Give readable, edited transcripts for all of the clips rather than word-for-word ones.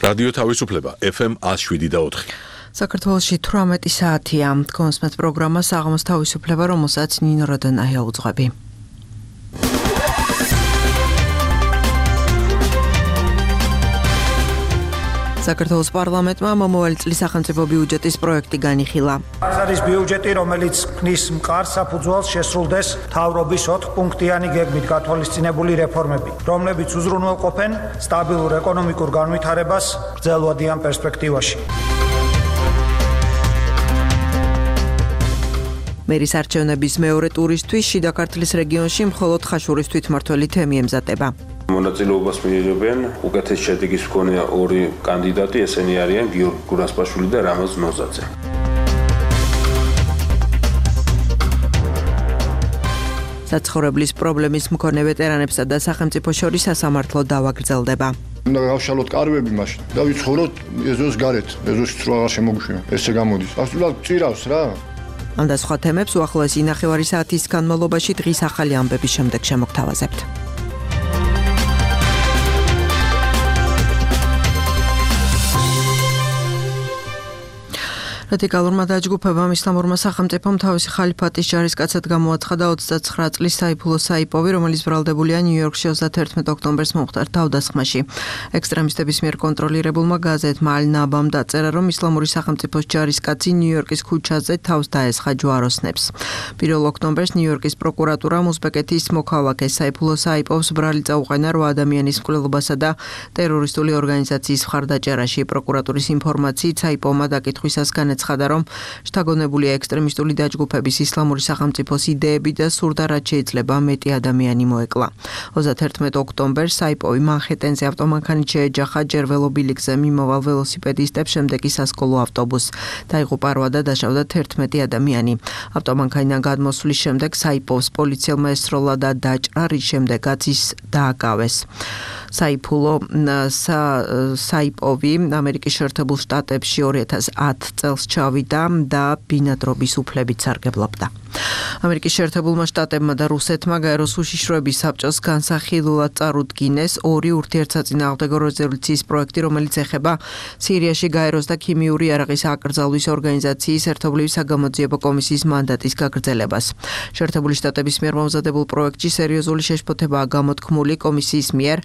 რადიო თავისუფლება FM 107.4. საქართველოში 18 საათია. კონსმეთ პროგრამა საღამოს თავისუფლება, რომელსაც ნინო როდონაია უძღვები. საქართველოს პარლამენტმა მომავალი წლის სახელმწიფო ბიუჯეტის პროექტი განიხილა. ეს არის ბიუჯეტი, რომელიც ქმნის მყარ საფუძველს შესრულდეს მთავრობის 4 პუნქტიანი გეგმით გათვალისწინებული რეფორმები, რომლებიც უზრუნველყოფენ სტაბილურ ეკონომიკურ განვითარებას გრძელვადიან პერსპექტივაში. მერის არჩევნების მეორე ტურისთვის შიდა ქართლის რეგიონში მხოლოდ ხაშურის თვითმმართველი თემი ემზადება. მონაწილეობას მიიღებენ უკეთეს შედეგის მქონე ორი კანდიდატი, ესენი არიან გიორგი გურასპაშვილი და რამაზ ნოზაძე. საცხოვრებლის პრობლემის მქონე ვეტერანებსა და სახელმწიფო შორის სასამართლო დავა გრძელდება. უნდა გავშალოთ კარვები მაშინ და ვიცხოვროთ ეზოს გარეთ, ეზოში თუ აღარ შემოგვიშვინა. ესე გამოდის. აბსოლუტურად წირავს რა. ამ და სხვა თემებს უახლოესი ნახევარი საათის განმავლობაში დღის ახალი ამბების შემდეგ შემოგთავაზებთ. რადიკალურმა დაჯგუფებამ ისლამურმა სახელმწიფომ თავისი ხალიფატის ჯარისკაცად გამოაცხადა 29 წლის საიფულო საიპოვი, რომელიც ბრალდებულია ნიუ-იორკში 31 ოქტომბერს მომხდარ თავდასხმაში. ექსტრემისტების მიერ კონტროლირებულმა გაზეთმა ალ-ნაბამ დაწერა, რომ ისლამური სახელმწიფოს ჯარისკაცი ნიუ-იორკის ქუჩაზე თავს დაესხა ჯვაროსნებს. 1 ოქტომბერს ნიუ-იორკის პროკურატურამ უზბეკეთის მოქალაქე საიფულო საიპოვს ბრალი წაუყენა 8 ადამიანის მკვლელობასა და ტერორისტული ორგანიზაციის მხარდაჭერაში. პროკურატურის ინფორმაციით საიპოვმა დაკითხვისას განაცხადა, რომ შთაგონებულია ექსტრემისტული დაჯგუფების ისლამური სახელმწიფოს იდეები და სურდა რაც შეიძლება მეტი ადამიანი მოეკლა. 31 ოქტომბერს საიპოვი მანჰეტენზე ავტომანქანით შეეჯახა ჯერ ველობილიკზე მიმოვალ ველოსიპედისტებს, შემდეგ კი სასკოლო ავტობუსს. დაიღუპა 8 და დაშავდა 11 ადამიანი. ავტომანქანიდან გადმოსვლის შემდეგ საიპოვს პოლიციელმა ესროლა და დაჭრა, რის შემდეგაც ის დააკავეს. საიპოვი ამერიკის შეერთებულ შტატებში 2010 წელს ჩავიდა და ბინადრობის უფლებით სარგებლობდა. ამერიკის შეერთებულმა შტატებმა და რუსეთმა გაეროს უშიშროების საბჭოს განსახილულად წარუდგინეს 2 ურთიერთსაწინააღმდეგო რეზოლუციის პროექტი, რომელიც ეხება სირიაში გაეროს და ქიმიური იარაღის აკრძალვის ორგანიზაციის ერთობლივი საგამოძიებო კომისიის მანდატის გაგრძელებას. შეერთებული შტატების მიერ მომზადებულ პროექტში სერიოზული შეშფოთებაა გამოთქმული კომისიის მიერ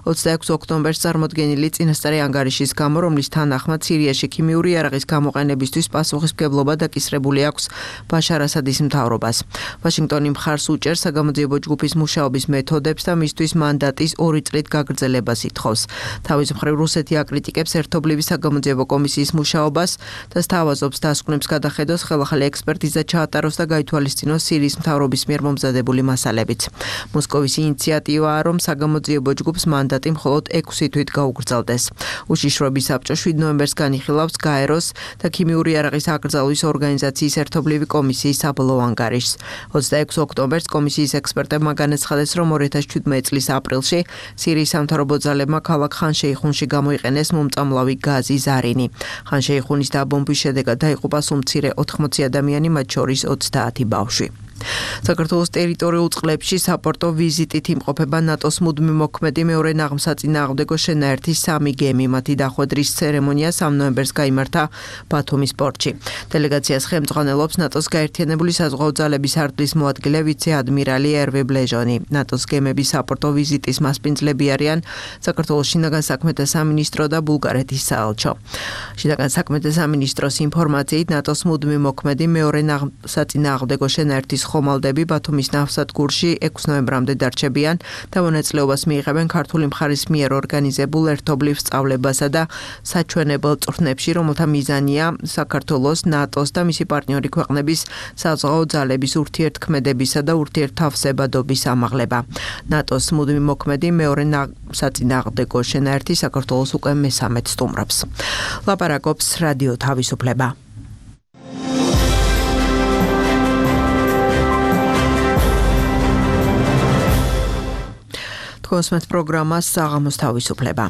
26 ოქტომბერს წარმოდგენილი წინასწარი ანგარიშის გამო, რომლის თანახმად სირიაში ქიმიური იარაღის გამოყენებისთვის პასუხისმგებლობა დაკისრებული აქვს ბაშარ ასადის მთავრობას. ვაშინგტონი მხარს უჭერს საგამოძიებო ჯგუფის მუშაობის მეთოდებს და მისთვის მანდატის 2 წლით გაგრძელებას ითხოვს. თავის მხრივ რუსეთი აკრიტიკებს ერთობლივი საგამოძიებო კომისიის მუშაობას და სთავაზობს დასკვნებს გადახედოს, ხელახალი ექსპერტიზა ჩაატაროს და გაითვალისწინოს სირიის მთავრობის მიერ მომზადებული მასალებიც. მოსკოვის ინიციატივაა, რომ საგამოძიებო ჯგუფს მანდატი მხოლოდ 6 თვით გაუგრძელდეს. უშიშროების საბჭო 7 ნოემბერს განიხილავს გაეროს და ქიმიური იარაღის აკრძალვის ორგანიზაციის ერთობლივი კომისიის საბოლოო ანგარიშს. 26 ოქტომბერს კომისიის ექსპერტებმა განაცხადეს, რომ 2017 წლის აპრილში სირიის სამთავრობო ძალებმა ქალაქ ხან-შეიხუნში გამოიყენეს მომწამლავი გაზი ზარინი. ხან-შეიხუნის დაბომბვის შედეგად დაიღუპა სულ მცირე 80 ადამიანი, მათ შორის 30 ბავშვი. საქართველოს ტერიტორიულ წყლებში საპორტო ვიზიტით იმყოფება ნატოს მუდმივ მოქმედი მეორე ნაღმსაწინააღმდეგო შენაერთის 3 გემი. მათი დახვედრის ცერემონია 3 ნოემბერს გაიმართა ბათუმის პორტში. დელეგაციას ხელმძღვანელობს ნატოს გაერთიანებული საზღვაო ძალების არტლის მოადგილე ვიცე-ადმირალი ერვე ბლეჟონი. ნატოს გემების საპორტო ვიზიტის მასპინძლები არიან საქართველოს შინაგან საქმეთა სამინისტრო და ბულგარეთის საელჩო. შინაგან საქმეთა სამინისტროს ინფორმაციით ნატოს მუდმივ მოქმედი მეორე ნაღმსაწინააღმდეგო შენაერთის ხომალდები ბათუმის ნავსადგურში 6 ნოემბრამდე დარჩებიან და მონაწილეობას მიიღებენ ქართული მხარის მიერ ორგანიზებულ ერთობლივ სწავლებასა და საჩვენებელ წვრთნებში, რომელთა მიზანია საქართველოს, ნატოს და მისი პარტნიორი ქვეყნების საზღვაო ძალების ურთიერთქმედებისა და ურთიერთთავსებადობის ამაღლება. ნატოს მუდმივ მოქმედი მეორე საწინააღმდეგო შენაერთი საქართველოს უკვე მესამედ სტუმრობს. ლაპარაკობს რადიო თავისუფლება. კონსმეთ პროგრამას საღამოს თავისუფლება.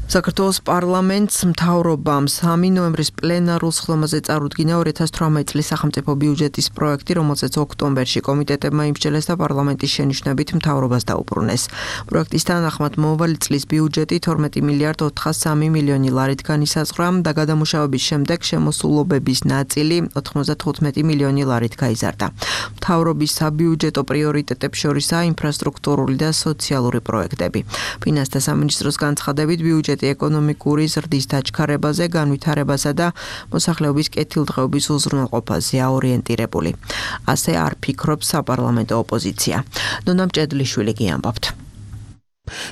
საქართველოს პარლამენტს მთავრობამ 3 ნოემბრის პლენარულ სხდომაზე წარუდგინა 2018 წლის სახელმწიფო ბიუჯეტის პროექტი, რომელზეც ოქტომბერში კომიტეტებმა იმსჯელეს და პარლამენტის შენიშვნებით მთავრობას დაუბრუნეს. პროექტის თანახმად მომავალი წლის ბიუჯეტი 12 მილიარდ 403 მილიონი ლარით განისაზღვრა და გადამუშავების შემდეგ შემოსულობების ნაწილი 95 მილიონი ლარით გაიზარდა. მთავრობის საბიუჯეტო პრიორიტეტებს შორისაა ინფრასტრუქტურული და სოციალური პროექტები. ფინანსთა სამინისტროს განცხადებით ბიუჯეტი ეკონომიკური ზრდის დაჩქარებაზე, განვითარებასა და მოსახლეობის კეთილდღეობის უზრუნველყოფაზეა ორიენტირებული. ასე არ ფიქრობს საპარლამენტო ოპოზიცია. ნონა მჭედლიშვილი გიამბობთ.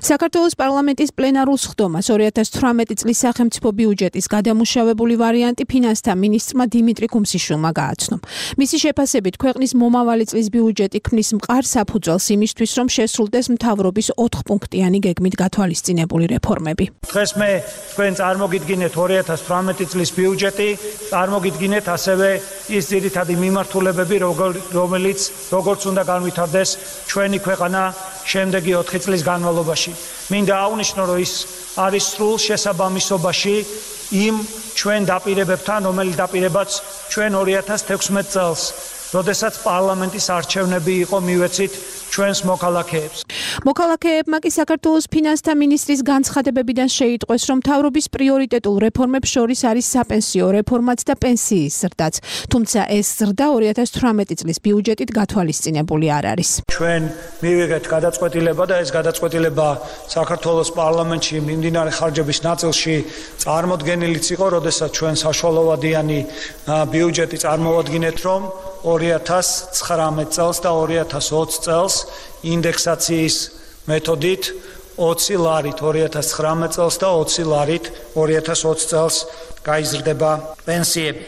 საქართველოს პარლამენტის პლენარულ სხდომას 2018 წლის სახელმწიფო ბიუჯეტის გადამუშავებული ვარიანტი ფინანსთა მინისტრმა დიმიტრი კუმსიშვილმა გააცნო. მისი შეფასებით ქვეყნის მომავალი წლის ბიუჯეტი ქმნის მყარ საფუძველს იმისთვის, რომ შესრულდეს მთავრობის 4-პუნქტიანი გეგმით გათვალისწინებული რეფორმები. დღეს მე თქვენ წარმოგიდგინეთ 2018 წლის ბიუჯეტი, წარმოგიდგინეთ ასევე ის ძირითადი მიმართულებები, რომელიც როგორც უნდა განვითარდეს ჩვენი ქვეყანა შემდეგი 4 წლის განმავლობაში. მინდა აღვნიშნო, რომ ის არის სრულ შესაბამისობაში იმ ჩვენ დაპირებებთან, რომელიც დაპირებაც ჩვენ 2016 წელს, როდესაც პარლამენტის არჩევნები იყო მივეცით ჩვენს მოქალაქეებს. მოქალაქეებმა კი საქართველოს ფინანსთა მინისტრის განცხადებებიდან შეიტყვეს, რომ მთავრობის პრიორიტეტულ რეფორმებს შორის არის საპენსიო რეფორმაც და პენსიის ზრდაც. თუმცა ეს ზრდა 2018 წლის ბიუჯეტით გათვალისწინებული არ არის. ჩვენ მივიღეთ გადაწყვეტილება და ეს გადაწყვეტილება საქართველოს პარლამენტში მიმდინარე ხარჯების ნაწილში წარმოდგენილიც იყო, როდესაც ჩვენ საშუალოვადიანი ბიუჯეტი წარმოვადგინეთ, რომ 2019 წელს და 2020 წელს ინდექსაციის მეთოდით 20 ლარით 2019 წელს და 20 ლარით 2020 წელს გაიზრდება პენსიები.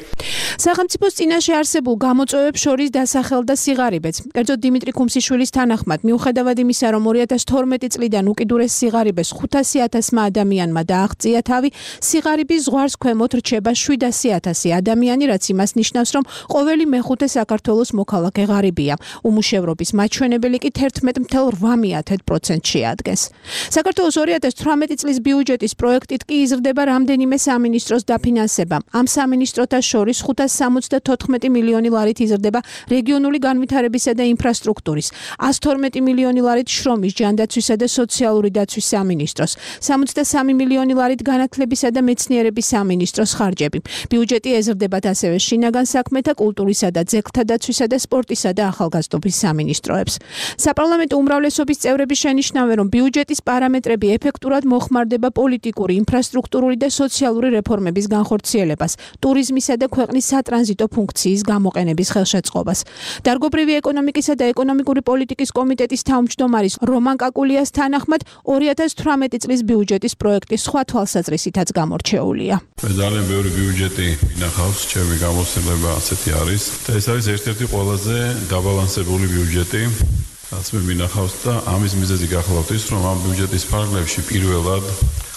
სახელმწიფოს წინაშე არსებულ გამოწვევებს შორის დასახელდა სიღარიბეც. კერძოდ დიმიტრი კუმსიშვილის თანახმად, მიუხედავად იმისა, რომ 2012 წლიდან უკიდურეს სიღარიბეს 500,000 ადამიანმა დააღწია თავი, სიღარიბის ზღვარს ქვემოთ რჩება 700,000 ადამიანი, რაც იმას ნიშნავს, რომ ყოველი მეხუთე საქართველოს მოქალაქე ღარიბია. უმუშევრობის მაჩვენებელი კი 11.8% შეადგენს. საქართველოს 2018 წლის ბიუჯეტის პროექტით კი იზრდება რამდენიმე სამინისტროს დაფინანსება. ამ სამინისტროთა შორის 574 მილიონი ლარით იზრდება რეგიონული განვითარებისა და ინფრასტრუქტურის, 112 მილიონი ლარით შრომის, ჯანდაცვისა და სოციალური დაცვის სამინისტროს, 63 მილიონი ლარით განათლებისა და მეცნიერების სამინისტროს ხარჯები. ბიუჯეტი ეზრდებათ ასევე შინაგან საქმეთა, კულტურისა და ძეგლთა დაცვისა და სპორტისა და ახალგაზრდობის სამინისტროებს. საპარლამენტო უმრავლესობის წევრები შენიშნავენ, რომ ბიუჯეტის პარამეტრები ეფექტურად მოხმარდება პოლიტიკური, ინფრასტრუქტურული და სოციალური რეფორმების განხორციელებას, ტურიზმისა და ქვეყნის სატრანზიტო ფუნქციის გამოყენების ხელშეწყობას. დარგობრივი ეკონომიკისა და ეკონომიკური პოლიტიკის კომიტეტის თავმჯდომარის რომან კაკულიას თანახმად 2018 წლის ბიუჯეტის პროექტი სხვა თვალსაზრისითაც გამორჩეულია. მე ძალიან ბევრი ბიუჯეტი მინახავს, ჩემი გამოცდილება ასეთი არის და ეს არის ერთ-ერთი ყველაზე დაბალანსებული ბიუჯეტი, რაც მე მინახავს და ამის მიზეზი გახლავთ ის, რომ ამ ბიუჯეტის ფარგლებში პირველად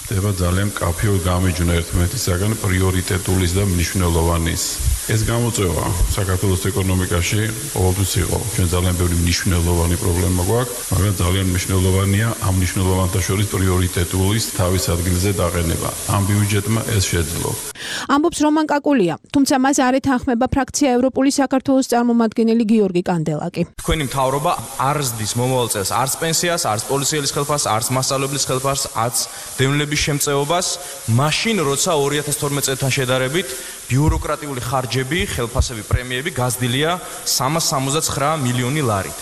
ხდება ძალიან მკაფიო გამიჯვნა ერთმანეთისაგან პრიორიტეტულის და მნიშვნელოვანის. ეს გამოწვევა საქართველოს ეკონომიკაში ყოველთვის იყო. ჩვენ ძალიან ბევრი მნიშვნელოვანი პრობლემა გვაქვს, მაგრამ ძალიან მნიშვნელოვანია ამ მნიშვნელოვანთა შორის პრიორიტეტულის თავის ადგილზე დაყენება. ამ ბიუჯეტმა ეს შეძლო. ამბობს რომან კაკულია, თუმცა მას არ ეთანხმება ფრაქცია ევროპული საქართველოს წარმომადგენელი გიორგი კანდელაკი. თქვენი მთავრობა არ ზრდის მომავალ წელს არც პენსიას, არც პოლიციელის ხელფასს, არც მასწავლებლის ხელფასს, არც დევნილების შემწეობას, მაშინ როცა 2012 წელთან შედარებით ბიუროკრატიული ხარჯები, ხელფასები, პრემიები გაზრდილია 369 მილიონი ლარით.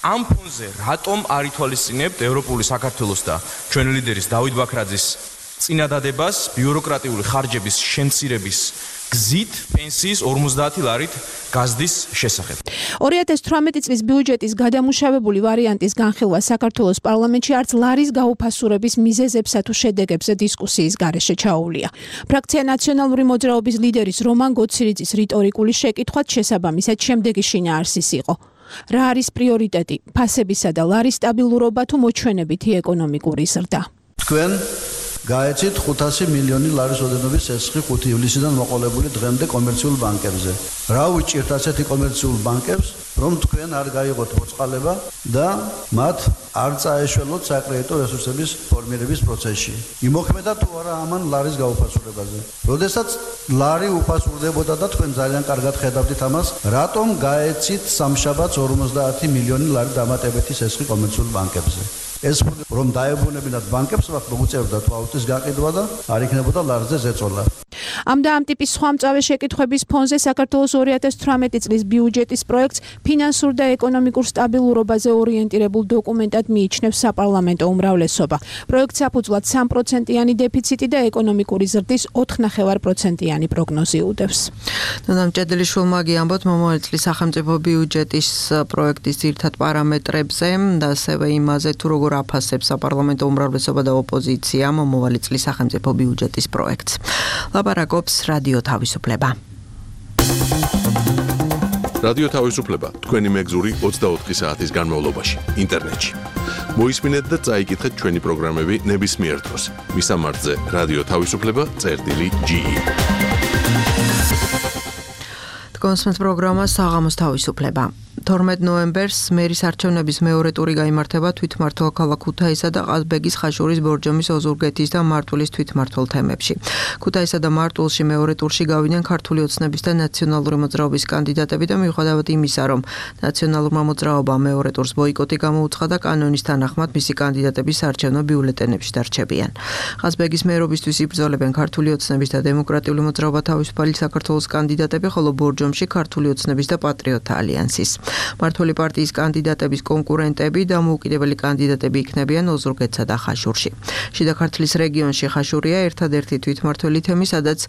ამ ფონზე რატომ არ ითვალისწინებთ ევროპული საქართველოს და ჩვენი ლიდერის დავით ბაქრაძის წინადადებას ბიუროკრატიული ხარჯების შემცირების გზით პენსიის 50 ლარით გაზრდის შესახებ. 2018 წლის ბიუჯეტის გადამუშავებული ვარიანტის განხილვა საქართველოს პარლამენტში არც ლარის გაუფასურების მიზეზებსა თუ შედეგებზე დისკუსიის გარეშე ჩაუვლია. ფრაქცია ნაციონალური მოძრაობის ლიდერის რომან გოცირიძის რიტორიკული შეკითხვაც შესაბამისად შემდეგი შინაარსის იყო. რა არის პრიორიტეტი, ფასებისა და ლარის სტაბილურობა თუ მოჩვენებითი ეკონომიკური ზრდა? თქვენ გაეცით 500 მილიონი ლარის ოდენობის ცეცხლი 5 ივლისიდან მოყოლებული დღემდე კომერციულ ბანკებზე. რა უჭირთ ასეთი კომერციულ ბანკებს, რომ თქვენ არ გაიღოთ მოწყალება და მათ არ წაეშველოთ საკრედიტო რესურსების ფორმირების პროცესში. იმოქმედა თუ არა ამან ლარის გაუფასურებაზე. როდესაც ლარი უფასურდებოდა და თქვენ ძალიან კარგად ხედავდით ამას, რატომ გაეცით სამშაბათს 50 მილიონი ლარი დამატებითი ცეცხლი კომერციულ ბანკებზე? ეს რომ დაებრუნებინათ ბანკებს, მათ მოუწევდა თვალთის გაყიდვა და არ იქნებოდა ლარზე ზეწოლა. ამ და ამ ტიპის სხვა მწვავე შეკითხვების ფონზე საქართველოს 2018 წლის ბიუჯეტის პროექტს ფინანსურ და ეკონომიკურ სტაბილურობაზე ორიენტირებულ დოკუმენტად მიიჩნევს საპარლამენტო უმრავლესობა. პროექტს საფუძვლად 3%-იანი დეფიციტი და ეკონომიკური ზრდის 4.5%-იანი პროგნოზი უდევს. ნანამ ჭედლიშვილმა გიამბოთ მომავალ წლის სახელმწიფო ბიუჯეტის პროექტის ძირითად პარამეტრებზე და ასევე იმაზე თუ როგორ აფასებს საპარლამენტო უმრავლესობა და ოპოზიცია მომავალი წლის სახელმწიფო ბიუჯეტის პროექტს. ლაპარაკობს რადიო თავისუფლება. რადიო თავისუფლება თქვენი მეგზური 24 საათის განმავლობაში ინტერნეტში. მოისმინეთ და წაიკითხეთ ჩვენი პროგრამები ნებისმიერ დროს. მისამართზე რადიო თავისუფლება.ge. კონსმენს პროგრამა საღამოს თავისუფლება. 12 ნოემბერს მერის არჩევნების მეორე ტური გაიმართება თვითმმართველ ქალაქ ქუთაისსა და ყაზბეგის ხაშურის ბორჯომის ოზურგეთის და მარტვილის თვითმმართველ თემებში. ქუთაისსა და მარტვილში მეორე ტურში გავიდნენ ქართული ოცნების და ნაციონალური მოძრაობის კანდიდატები და მიუხედავად იმისა, რომ ნაციონალურმა მოძრაობამ მეორე ტურს ბოიკოტი გამოუცხადა, კანონის თანახმად მისი კანდიდატები საარჩევნო ბიულეტენებში დარჩებიან. ყაზბეგის მერობისთვის იბრძოლებენ ქართული ოცნების და დემოკრატიული მოძრაობა თავისუფალი საქართველოს კანდიდატები, ხოლო ბორჯომში ქართული ოცნების და პატრიოტთა ალიანსის. მართული პარტიის კანდიდატების კონკურენტები და მოუკიდებელი კანდიდატები იქნებიან ოზურგეთსა და ხაშურში. შიდა ქართლის რეგიონში ხაშურია ერთადერთი თვითმმართველი თემი, სადაც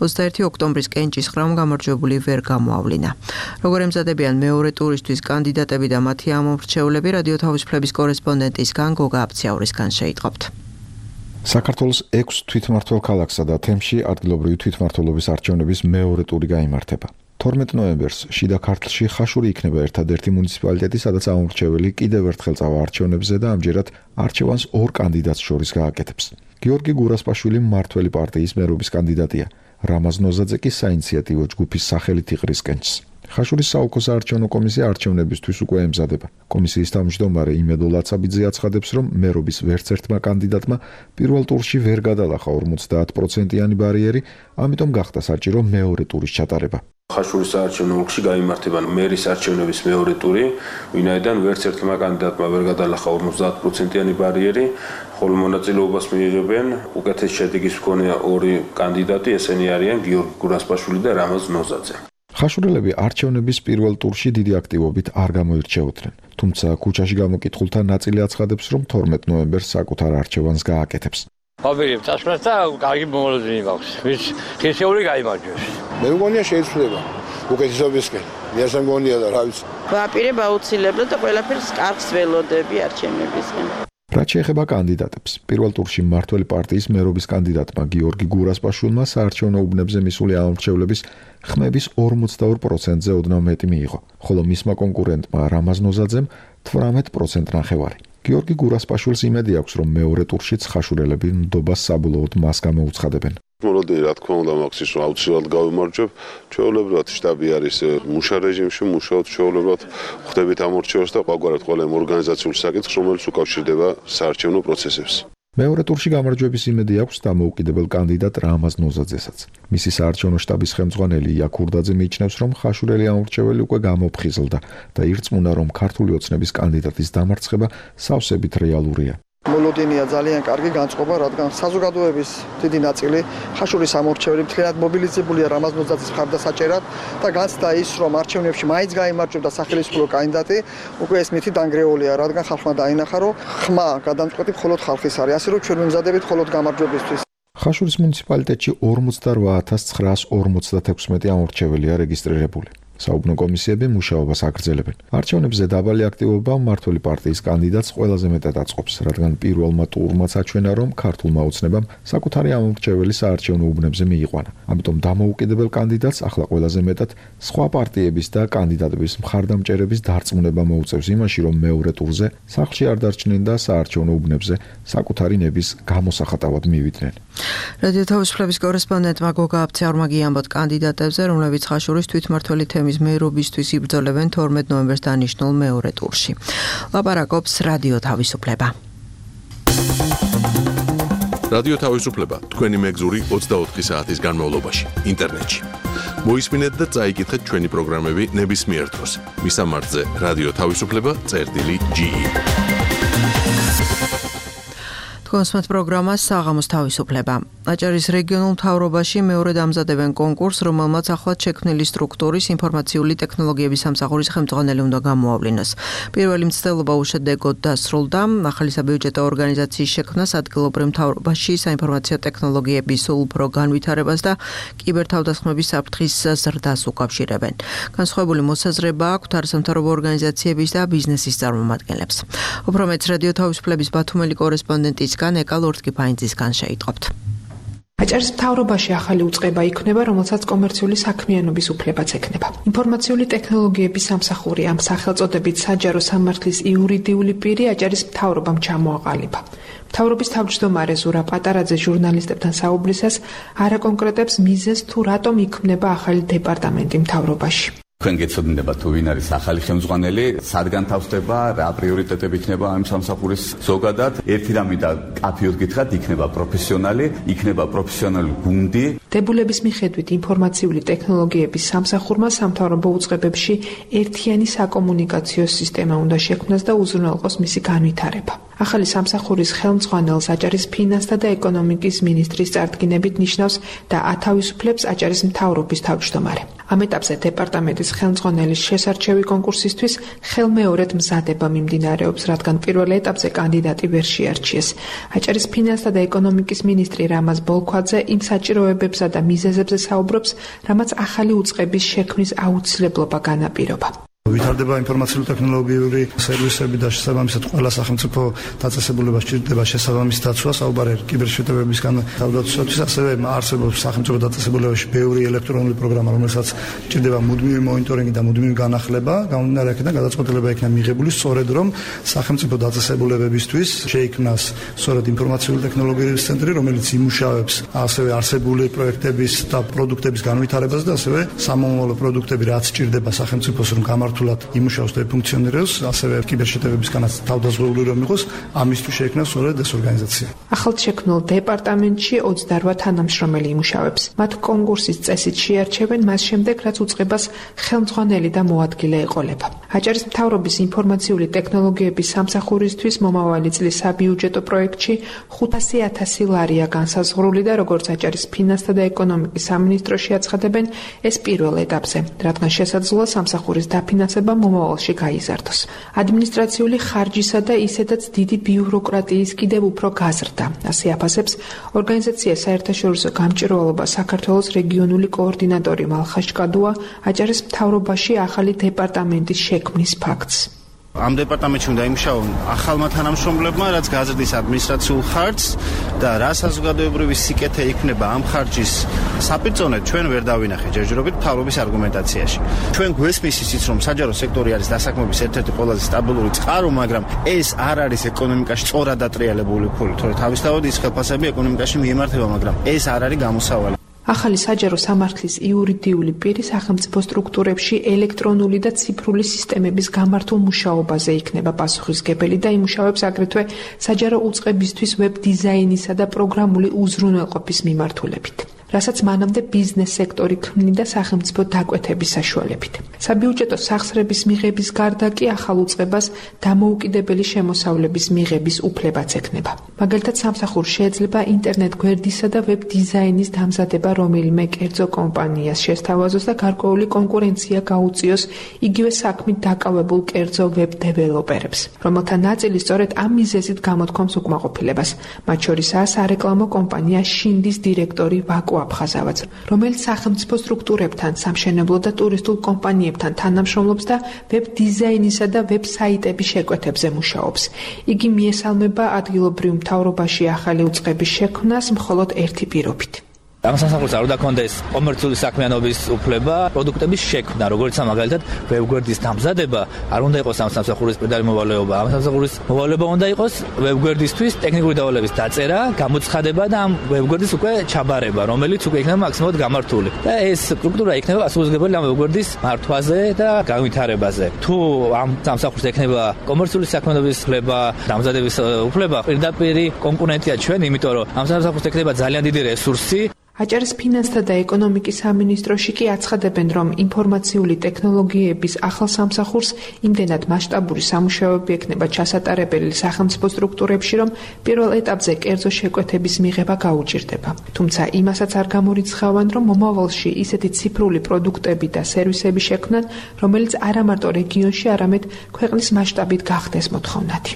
21 ოქტომბრის კენჭის ხრამ გამარჯვებული ვერ გამოავლინა. როგორ ემზადებიან მეორე ტურისთვის კანდიდატები და მათი ამომრჩევლები, რადიო თავისუფლების კორესპონდენტისგან გოგა აფციაურისგან შეიტყობთ. საქართველოს 6 თვითმმართველ ქალაქსა და თემში ადგილობრივი თვითმმართველობის არჩევნების მეორე ტური გაიმართება. 12 ნოემბერს შიდა ქართლში ხაშური იქნება ერთადერთი მუნიციპალიტეტი, სადაც ამომრჩეველი კიდევ ერთხელ წავა არჩევნებზე და ამჯერად არჩევანს ორ კანდიდატს შორის გააკეთებს. გიორგი გურასპაშვილი მმართველი პარტიის მერობის კანდიდატია. რამაზ ნოზაძე კი საინიციატივო ჯგუფის სახელით იყრის კენჭს. ხაშურის საოლქო საარჩევნო კომისია არჩევნებისთვის უკვე ემზადება. კომისიის თავმჯდომარე იმედო ლაცაბიძე აცხადებს, რომ მერობის ვერც ერთმა კანდიდატმა პირველ ტურში ვერ გადალახა 50%-იანი ბარიერი, ამიტომ გახდა საჭირო მეორე ტურის ჩატარება. ხაშურის საარჩევნო ოლქში გაიმართება მერის არჩევნების მეორე ტური, ვინაიდან ვერც ერთმა კანდიდატმა ვერ გადალახა 50%-იანი ბარიერი, ხოლო მონაწილეობას მიიღებენ უკეთეს შედეგის მქონე ორი კანდიდატი, ესენი არიან გიორგი გურასპაშვილი და რამაზ ნოზაძე. ხაშურელები არჩევნების პირველ ტურში დიდი აქტივობით არ გამოირჩეოდნენ, თუმცა ქუჩაში გამოკითხულთა ნაწილი აცხადებს, რომ 12 ნოემბერს საკუთარ არჩევანს გააკეთებს. ვაპირებ წასვლას და კარგი მომოლოდინი მაქვს. ვის ხისეული გაიმარჯვებს. მე მგონია შეიძლება უკეთესობისკენ. მე მგონია და რა ვიცი. ვაპირებ აუცილებლად და ყველაფერს კარგს ველოდები არჩევნებისგან. რაც შეეხება კანდიდატებს, პირველ ტურში მმართველი პარტიის მერობის კანდიდატმა გიორგი გურასპაშვილმა საარჩევნო უბნებზე მისული ამომრჩევლების ხმების 42%-ზე ოდნავ მეტი მიიღო, ხოლო მისმა კონკურენტმა რამაზ ნოზაძემ 18% ნახევარი. გიორგი გურასპაშვილს იმედი აქვს, რომ მეორე ტურშიც ხაშურელები ნდობას საბოლოოდ მას გამოუცხადებენ. მოლოდინი რა თქმა უნდა მაქვს ის რომ აუცილებლად გავიმარჯვებ, ჩვეულებრივად შტაბი არის მუშა რეჟიმში, მუშაობთ ჩვეულებრივად ხდებით ამორჩევას და ყოველგვარად ყველა იმ ორგანიზაციული საკითხს, რომელიც უკავშირდება საარჩევნო პროცესებს. მეორე ტურში გამარჯვების იმედი აქვს დამოუკიდებელ კანდიდატ რამაზ ნოზაძესაც. მისი საარჩევნო შტაბის ხელმძღვანელი ია ქურდაძე მიიჩნევს, რომ ხაშურელი ამორჩეველი უკვე გამოფხიზლდა და ირწმუნა, რომ ქართული ოცნების კანდიდატის დამარცხება სავსებით რეალურია. მოლოდინია ძალიან კარგი განწყობა, რადგან საზოგადოების დიდი ნაწილი ხაშურის ამორჩეველი მთლიანად მობილიზებულია რამაზ ნოზაძის მხარდასაჭერად და განცდა ის, რომ არჩევნებში მაინც გაიმარჯვებდა სახელმწიფო კანდიდატი, უკვე ეს მითი დანგრეულია, რადგან ხალხმა დაინახა, რომ ხმა გადამწყვეტი მხოლოდ ხალხის არის, ასე რომ ჩვენ ვიმზადებით მხოლოდ გამარჯვებისთვის. ხაშურის მუნიციპალიტეტში 48956 ამორჩეველია რეგისტრირებული. საუბნო კომისიები მუშაობას აგრძელებენ. არჩევნებზე დაბალი აქტივობა მმართველი პარტიის კანდიდატს ყველაზე მეტად აწყობს, რადგან პირველმა ტურმაც აჩვენა, რომ ქართულმა ოცნებამ საკუთარი ამომრჩეველი საარჩევნო უბნებზე მიიყვანა. ამიტომ დამოუკიდებელ კანდიდატს ახლა ყველაზე მეტად სხვა პარტიების და კანდიდატების მხარდამჭერების დარწმუნება მოუწევს იმაში, რომ მეორე ტურზე სახლში არ დარჩნენ და საარჩევნო უბნებზე საკუთარი ნების გამოსახატავად მივიდნენ. რადიო თავისუფლების კორესპონდენტმა გოგა აბცეურმა გიამბოთ კანდიდატებზე, რომლებიც ხაშურის თვითმმართველი თემის მერობისთვის იბრძოლებენ 12 ნოემბერს დანიშნულ მეორე ტურში. ლაპარაკობს რადიო თავისუფლება. რადიო თავისუფლება თქვენი მეგზური 24 საათის განმავლობაში ინტერნეტში. მოისმინეთ და წაიკითხეთ ჩვენი პროგრამები ნებისმიერ დროს. მისამართზე რადიო თავისუფლება.ge კონსმეთ პროგრამა საღამოს თავისუფლება. აჭარის რეგიონულ მთავრობაში მეორე დამზადებენ კონკურსს, რომელმაც ახლად შექმნილი სტრუქტურის ინფორმაციული ტექნოლოგიების სამსახურის ხელმძღვანელი უნდა გამოავლინოს. პირველი მცდელობა უშედეგოდ დასრულდა. ახალი საბიუჯეტო ორგანიზაციის შექმნას ადგილობრივ მთავრობაში საინფორმაციო ტექნოლოგიების სულ უფრო განვითარებას და კიბერთავდასხმების საფრთხის ზრდას უკავშირებენ. განსხვავებული მოსაზრება აქვთ არასამთავრობო ორგანიზაციების და ბიზნესის წარმომადგენლებს. უფრო მეც რადიო თავისუფლების ბათუმელი კორესპონდენტის ეკა ლორთკიფაინძისგან შეიტყობთ. აჭარის მთავრობაში ახალი უწყება იქნება, რომელსაც კომერციული საქმიანობის უფლებაც ექნება. ინფორმაციული ტექნოლოგიების სამსახური ამ სახელწოდებით საჯარო სამართლის იურიდიული პირი აჭარის მთავრობამ ჩამოაყალიბა. მთავრობის თავმჯდომარე ზურა პატარაძე ჟურნალისტებთან საუბრისას არაკონკრეტებს მიზეზს თუ რატომ იქმნება ახალი დეპარტამენტი მთავრობაში. თქვენ გეცოდინება თუ ვინ არის ახალი ხელმძღვანელი, სადგან თავსდება, რა პრიორიტეტები იქნება ამ სამსახურის ზოგადად. ერთი რამე და კაფეოდ გითხრათ, იქნება პროფესიონალი გუნდი. დებულების მიხედვით ინფორმაციული ტექნოლოგიების სამსახურმა სამთავრობო უწყებებში ერთიანი საკომუნიკაციო სისტემა უნდა შექმნას და უზრუნველყოს მისი განვითარება. ახალი სამსახურის ხელმძღვანელს აჭარის ფინანსთა და ეკონომიკის მინისტრის წარდგინებით ნიშნავს და ათავისუფლებს აჭარის მთავრობის თავმჯდომარე. ამ ეტაპზე დეპარტამენტის ხელმძღვანელის შესარჩევი კონკურსისთვის ხელმეორედ მზადება მიმდინარეობს, რადგან პირველ ეტაპზე კანდიდატი ვერ შეარჩიეს. აჭარის ფინანსთა და ეკონომიკის მინისტრი რამაზ ბოლქვაძე იმ საჭიროებებსა და მიზეზებზე საუბრობს, რამაც ახალი უწყების შექმნის აუცილებლობა განაპირობა. ვითარდება ინფორმაციული ტექნოლოგიური სერვისები და შესაბამისად ყველა სახელმწიფო დაწესებულება სჭირდება შესაბამის დაცვას, საუბარი კიბერშეტევებისგან თავდაცვისთვის, ასევე არსებობს სახელმწიფო დაწესებულებაში ბევრი ელექტრონული პროგრამა, რომელსაც სჭირდება მუდმივი მონიტორინგი და მუდმივი განახლება, გამომდინარე აქედან გადაწყვეტილება იქნება მიღებული სწორედ რომ სახელმწიფო დაწესებულებებისთვის შეიქმნას სწორედ ინფორმაციული ტექნოლოგიების ცენტრი, რომელიც იმუშავებს ასევე არსებული პროექტების და პროდუქტების განვითარებას და ასევე სამომავლო პროდუქტები რაც სჭირდება სახელმწიფოს რომ იმუშაოს და ფუნქციონირებს, ასევე კიბერშეტევებისგანაც თავდაზღვეული რომ იყოს, ამისთვის შეიქმნა სწორედ ეს ორგანიზაცია. ახალ შექმნილ დეპარტამენტში 28 თანამშრომელი იმუშავებს. მათ კონკურსის წესით შეარჩევენ მას შემდეგ, რაც უწყებას ხელმძღვანელი და მოადგილე ეყოლება. აჭარის მთავრობის ინფორმაციული ტექნოლოგიების სამსახურისთვის მომავალი წლის საბიუჯეტო პროექტში 500,000 ლარია განსაზღვრული და როგორც აჭარის ფინანსთა და ეკონომიკის სამინისტროში აცხადებენ, ეს პირველ ეტაპზე, რადგან შესაძლოა სამსახურის დაფინანსება მომავალში გაიზარდოს. ადმინისტრაციული ხარჯისა და ისედაც დიდი ბიუროკრატიის კიდევ უფრო გაზრდა. ასე აფასებს ორგანიზაცია საერთაშორისო გამჭირვალობა საქართველოს რეგიონული კოორდინატორი მალხაშ კადუა აჭარის მთავრობაში ახალი დეპარტამენტის შექმნის ფაქტს. ამ დეპარტამენტში უნდა იმუშაონ ახალმა თანამშრომლებმა, რაც გაზრდის ადმინისტრაციულ ხარჯს და რა საზოგადოებრივი სიკეთე იქნება ამ ხარჯის საპირწონედ ჩვენ ვერ დავინახეთ ჯერჯერობით მთავრობის არგუმენტაციაში. ჩვენ გვესმის ისიც რომ საჯარო სექტორი არის დასაქმების ერთ-ერთი ყველაზე სტაბილური წყარო, მაგრამ ეს არ არის ეკონომიკაში სწორად დატრიალებული ფული, თორემ თავისთავად ის ხელფასები ეკონომიკაში მიემართება, მაგრამ ეს არ არის გამოსავალი. ახალი საჯარო სამართლის იურიდიული პირი სახელმწიფო სტრუქტურებში ელექტრონული და ციფრული სისტემების გამართულ მუშაობაზე იქნება პასუხისმგებელი და იმუშავებს აგრეთვე საჯარო უწყებისთვის ვებ დიზაინისა და პროგრამული უზრუნველყოფის მიმართულებით. რასაც მანამდე ბიზნეს სექტორი ქმნიდა სახელმწიფო დაკვეთების საშუალებით. საბიუჯეტო სახსრების მიღების გარდა კი ახალ უწყებას დამოუკიდებელი შემოსავლების მიღების უფლებაც ექნება. მაგალითად, სამსახურს შეეძლება ინტერნეტ გვერდისა და ვებ დიზაინის დამზადება რომელიმე კერძო კომპანიას შესთავაზოს და გარკვეული კონკურენცია გაუწიოს იგივე საქმით დაკავებულ კერძო ვებ დეველოპერებს, რომელთა ნაწილი სწორედ ამ მიზეზით გამოთქვამს უკმაყოფილებას. მათ შორისაა სარეკლამო კომპანია შინდის დირექტორი ვაკუ აფხაზავაც, რომელიც სახელმწიფო სტრუქტურებთან, სამშენებლო და ტურისტულ კომპანიებთან თანამშრომლობს და ვებ დიზაინისა და ვებ საიტების შეკვეთებზე მუშაობს. იგი მიესალმება ადგილობრივ მთავრობაში ახალი უწყების შექმნას მხოლოდ ერთი პირობით. ამ სამსახურს არ უნდა კონდეს კომერციული საქმიანობის უფლება, პროდუქტების შექმნა, როგორც მაგალითად ვებგვერდის დამზადება, არ უნდა იყოს ამ სამსახურის პირდაპირ მოვალეობა. ამ სამსახურის მოვალეობა უნდა იყოს ვებგვერდისთვის ტექნიკური დავალების დაწერა, გამოცხადება და ამ ვებგვერდის უკვე ჩაბარება, რომელიც უკვე იქნება მაქსიმალურად გამართული. და ეს სტრუქტურა იქნება პასუხისმგებელი ამ ვებგვერდის მართვაზე და განვითარებაზე. თუ ამ სამსახურს ექნება კომერციული საქმიანობის უფლება, დამზადების უფლება, პირდაპირ კონკურენტია ჩვენ, იმიტომ რომ ამ სამსახურს ექნება ძალიან დიდი რესურსი. აჭარის ფინანსთა და ეკონომიკის სამინისტროში კი აცხადებენ, რომ ინფორმაციული ტექნოლოგიების ახალ სამსახურს იმდენად მასშტაბური სამუშაოები ექნება ჩასატარებელი სახელმწიფო სტრუქტურებში, რომ პირველ ეტაპზე კერძო შეკვეთების მიღება გაუჭირდება. თუმცა იმასაც არ გამორიცხავენ, რომ მომავალში ისეთი ციფრული პროდუქტები და სერვისები შექმნან, რომელიც არა მარტო რეგიონში, არამედ ქვეყნის მასშტაბით გახდეს მოთხოვნადი.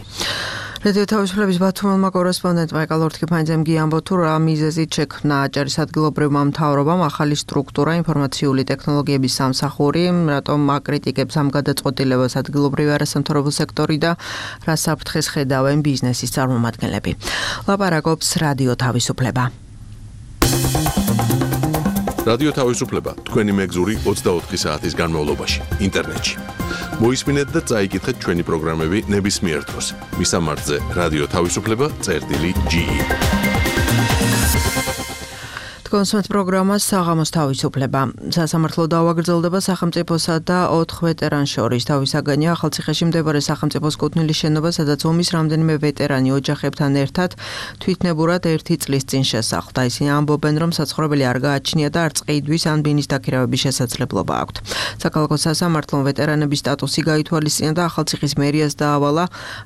რადიო თავისუფლების ბათუმელმა კორესპონდენტმა ეკალორთქიფანიძემ გიამბო, თუ რა მიზეზით შექმნა აჭარის ადგილობრივმა მთავრობამ ახალი სტრუქტურა ინფორმაციული ტექნოლოგიების სამსახური, რატომ აკრიტიკებს ამ გადაწყვეტილებას ადგილობრივი არასამთავრობო სექტორი და რა საფრთხეს ხედავენ ბიზნესის წარმომადგენლები. ლაპარაკობს რადიო თავისუფლება. რადიო თავისუფლება თქვენი მეგზური 24 საათის განმავლობაში ინტერნეტში. მოისმინეთ და წაიკითხეთ ჩვენი პროგრამები ნებისმიერ დროს. მისამართზე რადიო თავისუფლება.ge. კონსუმენტ პროგრამა საღამოს თავისუფლება. სასამართლო დაავაგრძელდება სახელმწიფოსა და 4 ვეტერანს შორის. თავისაგანია ახალციხეში მდებარე სახელმწიფოს კუთვნილის შენობა, სადაც ომის რამდენიმე ვეტერანი ოჯახებთან ერთად თვითნებურად 1 წლის წინ შესახლდა. ისინი ამბობენ, რომ საცხოვრებელი არ გააჩნია და არც ყიდვის ან ბინის დაქირავების შესაძლებლობა აქვთ. საქალაქო სასამართლომ ვეტერანების სტატუსი გაითვალისწინა და ახალციხის მერიას დაავალა